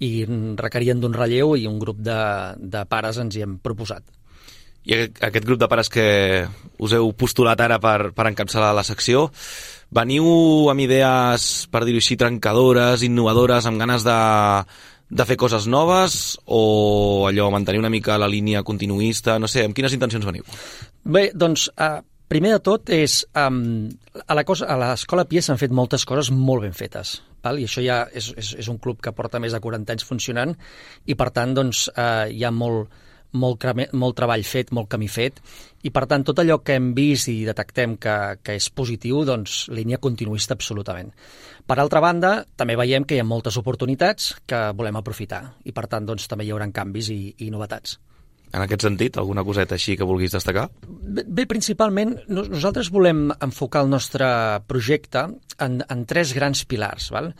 i requerien d'un relleu i un grup de, de pares ens hi hem proposat. I aquest grup de pares que us heu postulat ara per, per encapçalar la secció, veniu amb idees, per dir-ho així, trencadores, innovadores, amb ganes de, de fer coses noves, o allò, mantenir una mica la línia continuista? No sé, amb quines intencions veniu? Bé, doncs, uh, primer de tot és... Um, a la cosa, a l'Escola Pia s'han fet moltes coses molt ben fetes, val? I això ja és, és, és un club que porta més de quaranta anys funcionant, i per tant, doncs, uh, hi ha molt, molt, molt treball fet, molt camí fet, i per tant, tot allò que hem vist i detectem que, que és positiu, doncs, línia continuista absolutament. Per altra banda, també veiem que hi ha moltes oportunitats que volem aprofitar, i per tant, doncs, també hi haurà canvis i, i novetats. En aquest sentit, alguna coseta així que vulguis destacar? Bé, bé principalment, nosaltres volem enfocar el nostre projecte en, en tres grans pilars. Val?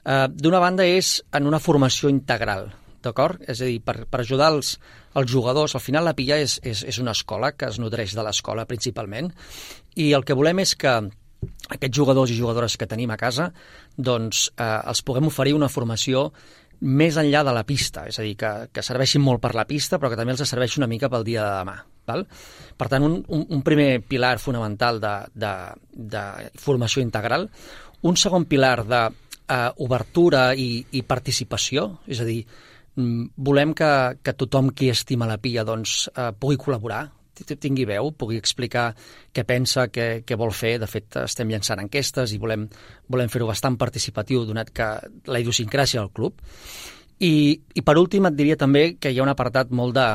Uh, D'una banda és en una formació integral, d'acord? És a dir, per, per ajudar els, els jugadors. Al final la Pia és, és, és una escola que es nodreix de l'escola principalment, i el que volem és que aquests jugadors i jugadores que tenim a casa doncs eh, els puguem oferir una formació més enllà de la pista, és a dir, que, que serveixin molt per la pista, però que també els serveixi una mica pel dia de demà. Val? Per tant, un, un, un primer pilar fonamental de, de, de formació integral, un segon pilar d'obertura uh, i, i participació, és a dir, volem que, que tothom qui estima la Pia doncs, uh, pugui col·laborar, tingui veu, pugui explicar què pensa, què, què vol fer. De fet, estem llançant enquestes i volem, volem fer-ho bastant participatiu, donat que la idiosincràsia del club. I, i per últim et diria també que hi ha un apartat molt de,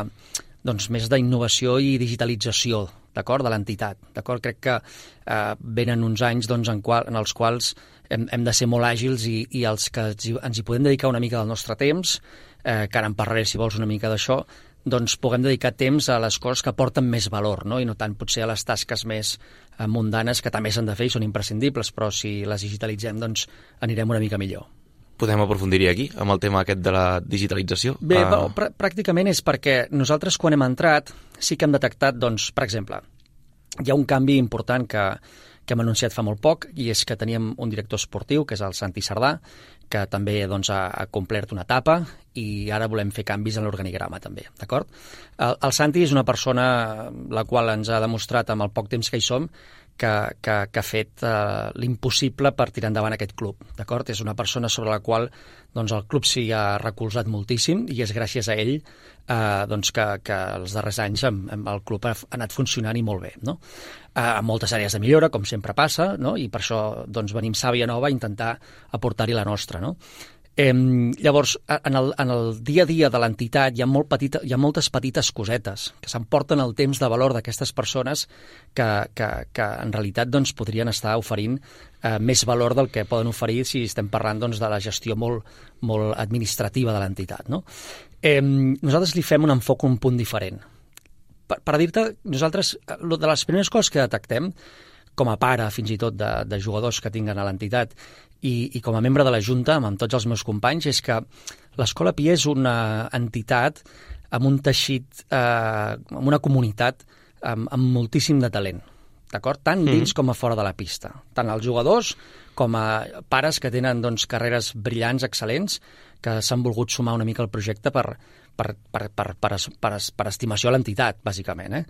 doncs, més d'innovació i digitalització, d'acord, de l'entitat. D'acord? Crec que eh, venen uns anys doncs, en, qual, en els quals hem, hem de ser molt àgils i, i els que ens hi, ens hi podem dedicar una mica del nostre temps, eh, que ara en parlaré si vols una mica d'això, doncs puguem dedicar temps a les coses que aporten més valor, no? I no tant potser a les tasques més eh, mundanes, que també s'han de fer i són imprescindibles, però si les digitalitzem doncs anirem una mica millor. Podem aprofundir aquí, amb el tema aquest de la digitalització? Bé, uh... pr pràcticament és perquè nosaltres quan hem entrat sí que hem detectat, doncs, per exemple, hi ha un canvi important que, que hem anunciat fa molt poc, i és que teníem un director esportiu, que és el Santi Sardà, que també doncs, ha, ha complert una etapa, i ara volem fer canvis en l'organigrama també, d'acord? El, el Santi és una persona la qual ens ha demostrat amb el poc temps que hi som que, que, que ha fet eh, l'impossible per tirar endavant aquest club, d'acord? És una persona sobre la qual doncs, el club s'hi ha recolzat moltíssim, i és gràcies a ell eh, doncs, que, que els darrers anys amb, amb el club ha anat funcionant i molt bé, no? Eh, amb moltes àrees de millora, com sempre passa, no? I per això doncs, venim sàvia nova a intentar aportar-hi la nostra, no? Eh, llavors, en el, en el dia a dia de l'entitat hi ha, molt petita, hi ha moltes petites cosetes que s'emporten el temps de valor d'aquestes persones que, que, que en realitat doncs, podrien estar oferint eh, més valor del que poden oferir si estem parlant doncs, de la gestió molt, molt administrativa de l'entitat, no? Eh, nosaltres li fem un enfoc un punt diferent. Per, per dir-te, nosaltres, de les primeres coses que detectem, com a pare, fins i tot, de, de jugadors que tinguen a l'entitat, i, i com a membre de la Junta, amb, amb tots els meus companys, és que l'Escola Pia és una entitat amb un teixit, eh, amb una comunitat amb, amb moltíssim de talent, d'acord? Tant dins mm. com a fora de la pista. Tant els jugadors com a pares que tenen doncs, carreres brillants, excel·lents, que s'han volgut sumar una mica al projecte per, per, per, per, per, per, per estimació a l'entitat, bàsicament, eh?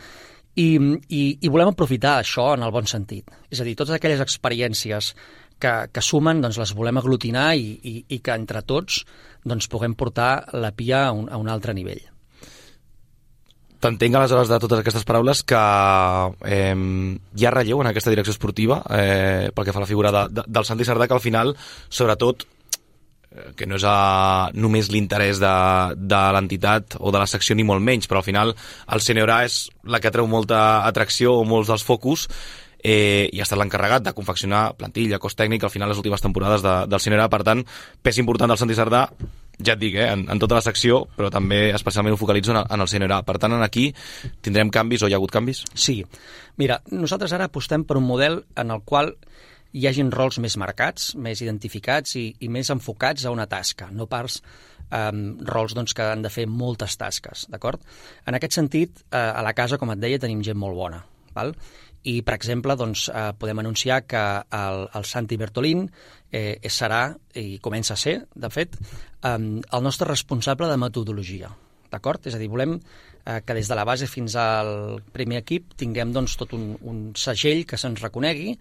I, i, i volem aprofitar això en el bon sentit. És a dir, totes aquelles experiències que, que sumen, doncs les volem aglutinar i, i, i que entre tots doncs, puguem portar la Pia a un, a un altre nivell. T'entenc aleshores de totes aquestes paraules que eh, hi ha relleu en aquesta direcció esportiva eh, pel que fa a la figura de, de, del Santi Sardà, que al final, sobretot, que no és a, només l'interès de, de l'entitat o de la secció ni molt menys, però al final el Sènior A és la que treu molta atracció o molts dels focus, eh, i ha estat l'encarregat de confeccionar plantilla, cos tècnic, al final les últimes temporades de, del Sènior A. Per tant, pes important del Santi Sardà, ja et dic, eh, en, en tota la secció, però també especialment ho focalitzo en el, en el Sènior A. Per tant, aquí tindrem canvis o hi ha hagut canvis? Sí. Mira, nosaltres ara apostem per un model en el qual hi hagin rols més marcats, més identificats i, i més enfocats a una tasca, no pas um, rols doncs, que han de fer moltes tasques, d'acord? En aquest sentit, eh, a la casa, com et deia, tenim gent molt bona, val? I, per exemple, doncs, eh, podem anunciar que el, el Santi Bertolín eh, serà, i comença a ser, de fet, um, el nostre responsable de metodologia, d'acord? És a dir, volem eh, que des de la base fins al primer equip tinguem doncs, tot un, un segell que se'ns reconegui,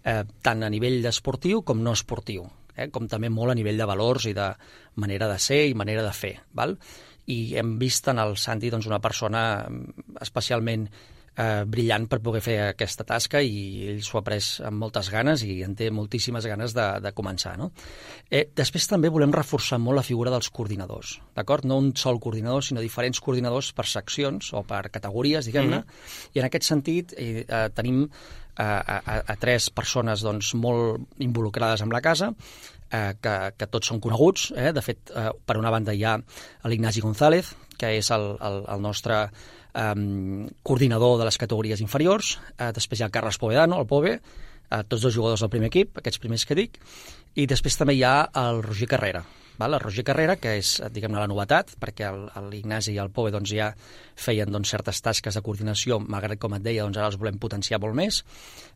eh, tant a nivell esportiu com no esportiu, eh, com també molt a nivell de valors i de manera de ser i manera de fer. Val? I hem vist en el Santi doncs, una persona especialment eh, brillant per poder fer aquesta tasca i ell s'ho ha pres amb moltes ganes i en té moltíssimes ganes de, de començar. No? Eh, després també volem reforçar molt la figura dels coordinadors, d'acord? No un sol coordinador, sinó diferents coordinadors per seccions o per categories, diguem-ne, mm-hmm. i en aquest sentit eh, eh, tenim eh, a, a, a tres persones doncs, molt involucrades amb la casa, eh, que, que tots són coneguts. Eh? De fet, eh, per una banda hi ha l'Ignasi González, que és el, el, el nostre Um, coordinador de les categories inferiors, uh, després hi ha el Carles Povedano, el Pove, uh, tots dos jugadors del primer equip, aquests primers que dic, i després també hi ha el Roger Carrera, val? El Roger Carrera, que és, diguem-ne, la novetat, perquè l'Ignasi i el Pove doncs, ja feien doncs, certes tasques de coordinació, malgrat, com et deia, doncs, ara els volem potenciar molt més.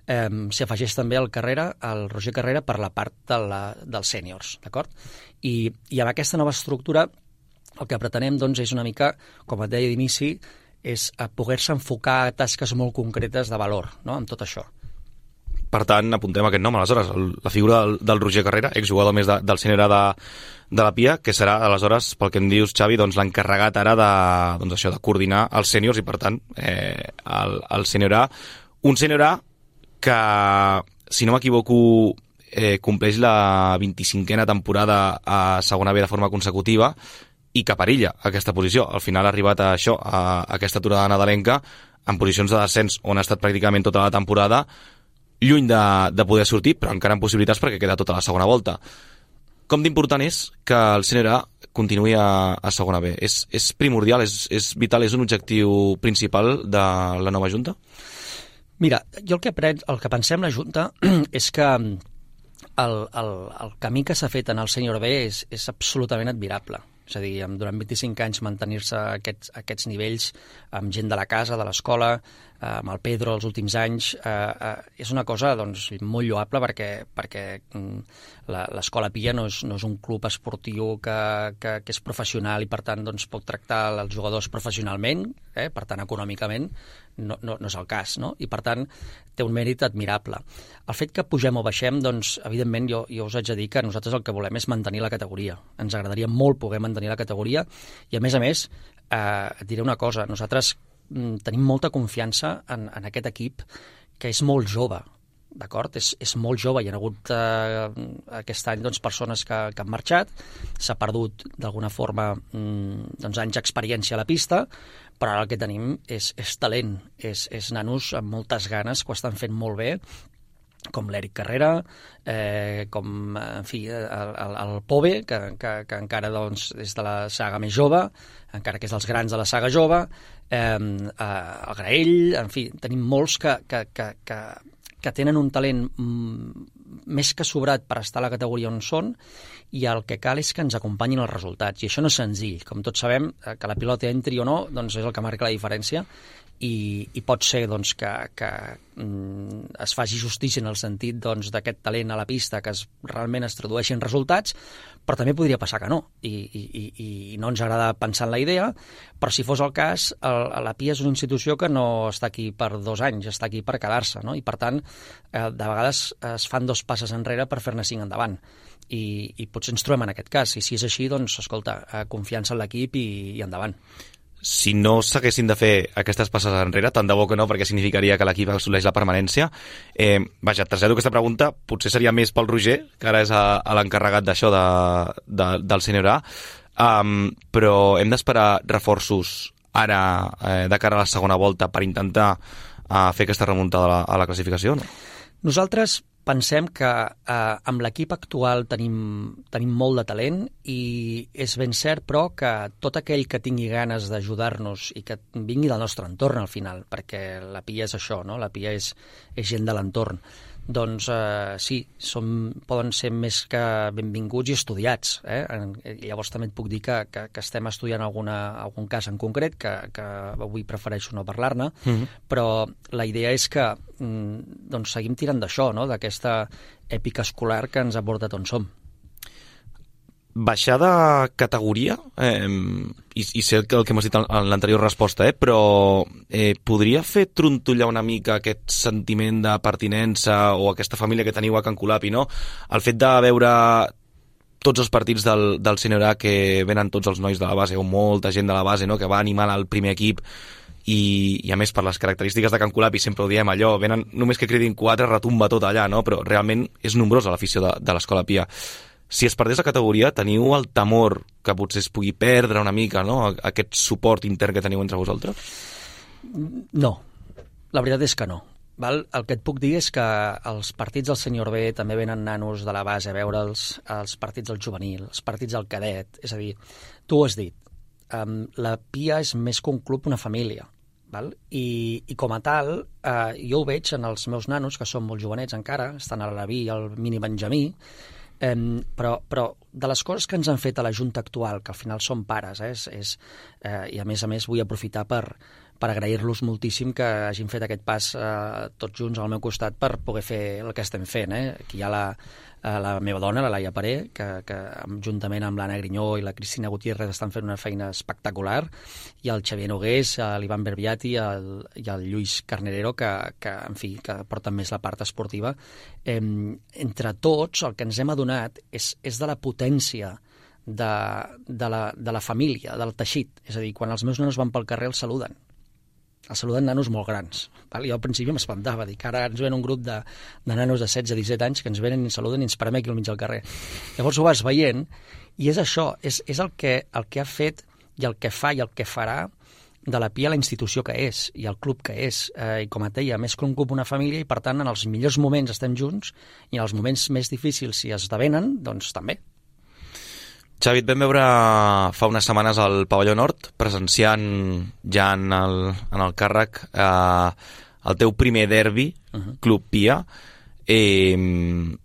Um, S'hi afegeix també el Carrera, el Roger Carrera, per la part de la, dels sèniors, d'acord? I, I amb aquesta nova estructura el que pretenem doncs, és una mica, com et deia d'inici, és a poder-se enfocar a tasques molt concretes de valor, no?, amb tot això. Per tant, apuntem aquest nom, aleshores, el, la figura del, del Roger Carrera, exjugador més de, del sènior de, de la Pia, que serà, aleshores, pel que em dius, Xavi, doncs, l'encarregat ara de, doncs, això, de coordinar els sèniors i, per tant, eh, el, el sènior A. Un sènior A que, si no m'equivoco, eh, compleix la vint-i-cinquena temporada a segona B de forma consecutiva, i que perilla aquesta posició. Al final ha arribat a això, a aquesta aturada nadalenca, en posicions de descens on ha estat pràcticament tota la temporada, lluny de, de poder sortir, però encara amb possibilitats perquè queda tota la segona volta. Com d'important és que el sènior A continuï a, a segona B? És, és primordial, és, és vital, és un objectiu principal de la nova Junta? Mira, jo el que, pren, el que pensem la Junta és que el, el, el camí que s'ha fet en el sènior B és, és absolutament admirable. És a dir, durant vint-i-cinc anys mantenir-se aquests, aquests nivells amb gent de la casa, de l'escola, amb el Pedro els últims anys, eh, eh, és una cosa doncs, molt lloable perquè, perquè l'escola Pia no és, no és un club esportiu que, que, que és professional i per tant doncs, pot tractar els jugadors professionalment, eh, per tant econòmicament no, no, no és el cas, no? I per tant té un mèrit admirable. El fet que pugem o baixem, doncs evidentment jo, jo us haig de dir que nosaltres el que volem és mantenir la categoria. Ens agradaria molt poder mantenir la categoria i a més a més eh, et diré una cosa, nosaltres tenim molta confiança en, en aquest equip que és molt jove, d'acord? És, és molt jove, hi ha hagut eh, aquest any doncs, persones que, que han marxat, s'ha perdut d'alguna forma mm, doncs, anys d'experiència a la pista, però ara el que tenim és, és talent, és, és nanos amb moltes ganes que ho estan fent molt bé, com l'Eric Carrera, eh, com en fi, el, el, el Pove, que, que, que encara doncs, és de la saga més jove, encara que és dels grans de la saga jove, eh, el Graell, en fi, tenim molts que, que, que, que, que tenen un talent mm, més que sobrat per estar a la categoria on són, i el que cal és que ens acompanyin els resultats, i això no és senzill. Com tots sabem, que la pilota entri o no doncs és el que marca la diferència, i, i pot ser doncs, que, que mm, es faci justícia en el sentit doncs, d'aquest talent a la pista que es, realment es tradueixi en resultats, però també podria passar que no, i, i, i no ens agrada pensar en la idea, però si fos el cas, el, la Pia és una institució que no està aquí per dos anys, està aquí per quedar-se, no? I per tant, eh, de vegades es fan dos passes enrere per fer-ne cinc endavant, i, i potser ens trobem en aquest cas, i si és així, doncs, escolta, eh, confiança en l'equip i, i endavant. Si no s'haguessin de fer aquestes passes enrere, tant de bo que no, perquè significaria que l'equip assoleix la permanència. Eh, vaja, trasllado aquesta pregunta, potser seria més pel Roger, que ara és a, a l'encarregat d'això de, de, del sènior A, um, però hem d'esperar reforços ara eh, de cara a la segona volta per intentar uh, fer aquesta remuntada a la, a la classificació, no? Nosaltres pensem que eh, amb l'equip actual tenim, tenim molt de talent i és ben cert, però, que tot aquell que tingui ganes d'ajudar-nos i que vingui del nostre entorn al final, perquè la Pia és això, no? La Pia és, és gent de l'entorn. Doncs eh, sí, som, poden ser més que benvinguts i estudiats. Eh? Llavors també et puc dir que, que, que estem estudiant alguna, algun cas en concret, que, que avui prefereixo no parlar-ne, mm-hmm. però la idea és que mm, doncs seguim tirant d'això, no? D'aquesta èpica escolar que ens ha portat on som. baixar de categoria, eh, i, i sé el que m'has dit en l'anterior resposta, eh, però eh, podria fer trontollar una mica aquest sentiment de pertinença o aquesta família que teniu a Can Colapi, no? El fet de veure tots els partits del, del Sènior A que venen tots els nois de la base o molta gent de la base, no?, que va animar el primer equip i, i a més per les característiques de Can Colapi sempre ho diem allò, venen només que cridin quatre retumba tot allà, no? Però realment és nombrosa l'afició de, de l'Escola Pia. Si es perdés la categoria, teniu el temor que potser es pugui perdre una mica, no?, aquest suport intern que teniu entre vosaltres? No, la veritat és que no. Val? El que et puc dir és que els partits del Sènior B també venen nanos de la base a veure'ls, els partits del juvenil, els partits del cadet, és a dir, tu ho has dit, um, la Pia és més que un club, una família. Val? I, i com a tal, eh, jo ho veig en els meus nanos, que són molt jovenets encara, estan a l'Alaví i al mini Benjamí, eh, però, però de les coses que ens han fet a la Junta actual, que al final són pares, eh, és, és, eh, i a més a més vull aprofitar per, per agrair-los moltíssim que hagin fet aquest pas eh, tots junts al meu costat per poder fer el que estem fent. Eh? Aquí hi ha la, la meva dona, la Laia Paré, que, que juntament amb l'Anna Grinyó i la Cristina Gutiérrez estan fent una feina espectacular, i el Xavier Nogués, l'Ivan Berbiati i el, i el Lluís Carnerero, que, que, en fi, que porten més la part esportiva. Eh, entre tots, el que ens hem adonat és, és de la potència de, de, la, de la família, del teixit. És a dir, quan els meus nanos van pel carrer els saluden. Els saluden nanos molt grans. Val? Jo al principi m'espantava, dic, ara ens ven un grup de, de nanos de setze a disset anys que ens venen i ens saluden i ens parem aquí al mig del carrer. Llavors ho vas veient, i és això, és, és el, que, el que ha fet i el que fa i el que farà de la Pia la institució que és i el club que és. Eh, I com et deia, més que un club, una família, i per tant en els millors moments estem junts i en els moments més difícils, si esdevenen, doncs també. Xavi, et vam veure fa unes setmanes al Pavelló Nord, presenciant ja en el, en el càrrec eh, el teu primer derbi, uh-huh. Club Pia. Eh,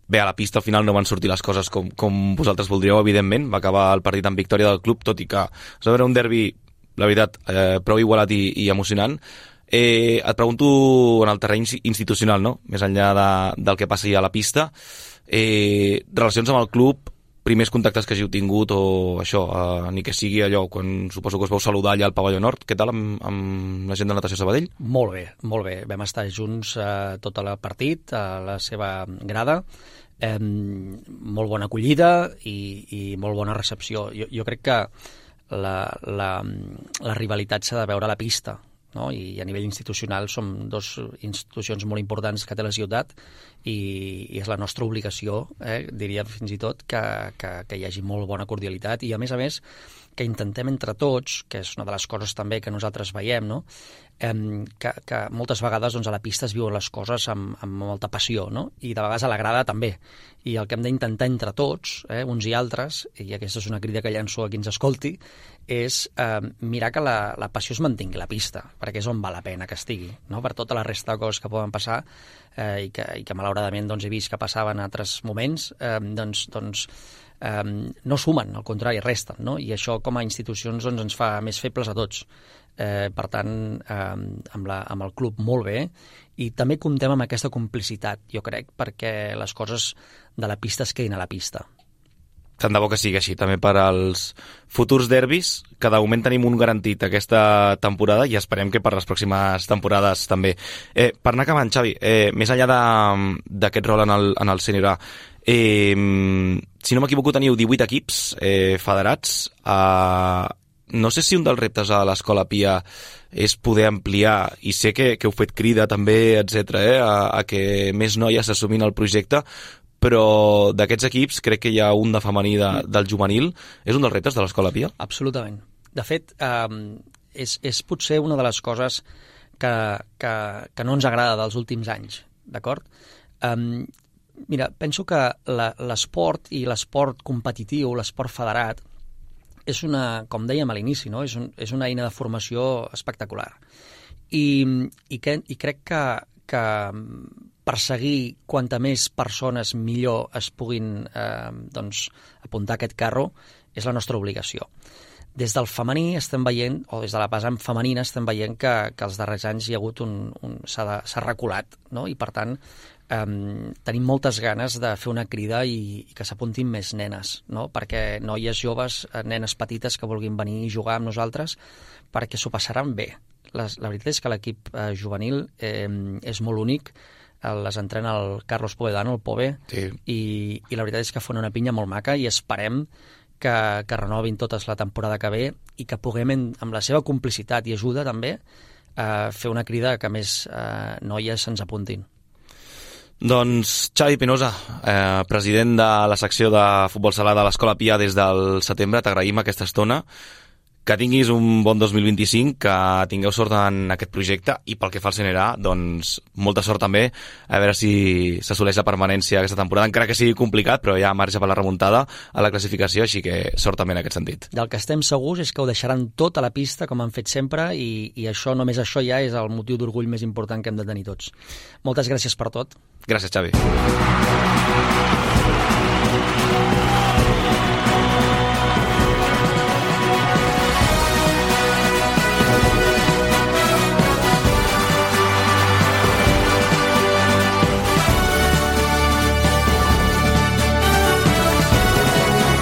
bé, a la pista al final no van sortir les coses com, com vosaltres voldríeu, evidentment. Va acabar el partit amb victòria del club, tot i que es va veure un derbi, la veritat, eh, prou igualat i, i emocionant. Eh, et pregunto en el terreny institucional, no?, més enllà de, del que passi a la pista, eh, relacions amb el club, primers contactes que hàgiu tingut o això, eh, ni que sigui allò, quan suposo que us vau saludar allà al Pavelló Nord, què tal amb, amb la gent de Natació Sabadell? Molt bé, molt bé. Vam estar junts eh, tot el partit, a la seva grada, eh, molt bona acollida i, i molt bona recepció. Jo, jo crec que la, la, la rivalitat s'ha de veure a la pista, no? I a nivell institucional som dos institucions molt importants que té la ciutat i, i és la nostra obligació, eh, diria fins i tot, que, que, que hi hagi molt bona cordialitat i, a més a més, que intentem entre tots, que és una de les coses també que nosaltres veiem, no?, eh, que, que moltes vegades doncs, a la pista es viuen les coses amb, amb molta passió, no?, i de vegades a la grada també. I el que hem d'intentar entre tots, eh, uns i altres, i aquesta és una crida que llanço a qui ens escolti, és eh, mirar que la, la passió es mantingui a la pista, perquè és on val la pena que estigui, no?, per tota la resta de coses que poden passar eh, i, que, i que malauradament doncs, he vist que passaven en altres moments, eh, doncs, doncs eh, no sumen, al contrari, resten, no? I això com a institucions doncs, ens fa més febles a tots. Eh, per tant, eh, amb, la, amb el club molt bé, i també comptem amb aquesta complicitat, jo crec, perquè les coses de la pista es quedin a la pista. Tant de bo que sigui així, també per als futurs derbis, que de moment tenim un garantit aquesta temporada i esperem que per les pròximes temporades també. Eh, per anar acabant, Xavi, eh, més enllà d'aquest rol en el, en el Sènior A, eh, si no m'equivoco teniu divuit equips eh, federats. Eh, no sé si un dels reptes a l'Escola Pia és poder ampliar, i sé que, que heu fet crida també, etcètera, eh, a, a que més noies s'assumin el projecte, però d'aquests equips crec que hi ha un de femení de, del juvenil. És un dels reptes de l'Escola Pia? Absolutament. De fet, eh, és, és potser una de les coses que, que, que no ens agrada dels últims anys, d'acord? Eh, mira, penso que l'esport i l'esport competitiu, l'esport federat, és una, com dèiem a l'inici, no? és, un, és una eina de formació espectacular. I, i, que, i crec que, que perseguir quanta més persones millor es puguin eh, doncs, apuntar a aquest carro és la nostra obligació. Des del femení estem veient, o des de la vessant femenina estem veient que, que els darrers anys hi ha hagut un... un s'ha reculat, no? I per tant um, tenim moltes ganes de fer una crida i, i que s'apuntin més nenes, no? Perquè noies joves, nenes petites que vulguin venir i jugar amb nosaltres, perquè s'ho passaran bé. Les, la veritat és que l'equip eh, juvenil eh, és molt únic, les entrena el Carlos Povedano, el Pove, sí. i, i la veritat és que fan una pinya molt maca i esperem que, que renovin totes la temporada que ve i que puguem, amb la seva complicitat i ajuda també, eh, fer una crida que més eh, noies se'ns apuntin. Doncs Xavi Pinoza, eh, president de la secció de futbol sala de l'Escola Pia des del setembre, t'agraïm aquesta estona. Que tinguis un bon dos mil vint-i-cinc, que tingueu sort en aquest projecte i pel que fa al C N R A, doncs molta sort també, a veure si s'assoleix la permanència aquesta temporada, encara que sigui complicat, però hi ha marge per la remuntada a la classificació, així que sort també en aquest sentit. Del que estem segurs és que ho deixaran tot a la pista, com han fet sempre, i, i això, només això ja és el motiu d'orgull més important que hem de tenir tots. Moltes gràcies per tot. Gràcies, Xavi.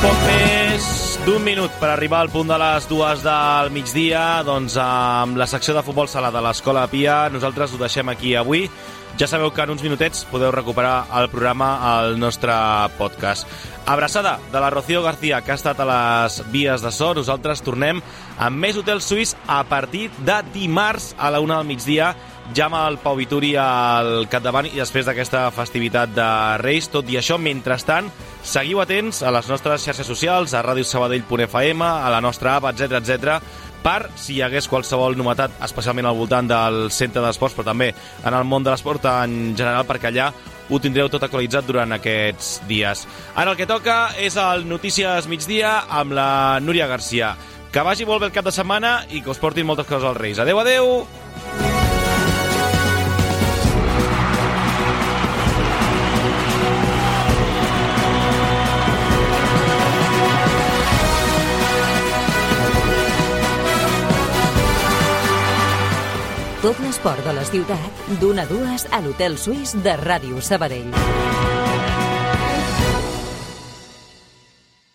Poc més d'un minut per arribar al punt de les dues del migdia, doncs amb la secció de futbol sala de l'Escola Pia nosaltres ho deixem aquí avui. Ja sabeu que en uns minutets podeu recuperar el programa al nostre podcast. Abraçada de la Rocío García, que ha estat a les vies de so. Nosaltres tornem amb més Hotel Suís a partir de dimarts a la una del migdia, ja amb el Pau Vituri al capdavant i després d'aquesta festivitat de Reis. Tot i això, mentrestant, seguiu atents a les nostres xarxes socials, a ràdio sabadell punt f m, a la nostra app, etcètera, etcètera, per si hi hagués qualsevol novetat, especialment al voltant del centre d'esports, però també en el món de l'esport en general, perquè allà ho tindreu tot actualitzat durant aquests dies. Ara el que toca és el Notícies Migdia amb la Núria Garcia. Que vagi molt bé el cap de setmana i que us portin moltes coses als Reis. Adéu, adéu! Tot l'esport de la ciutat, d'una a dues a l'Hotel Suís de Ràdio Sabadell.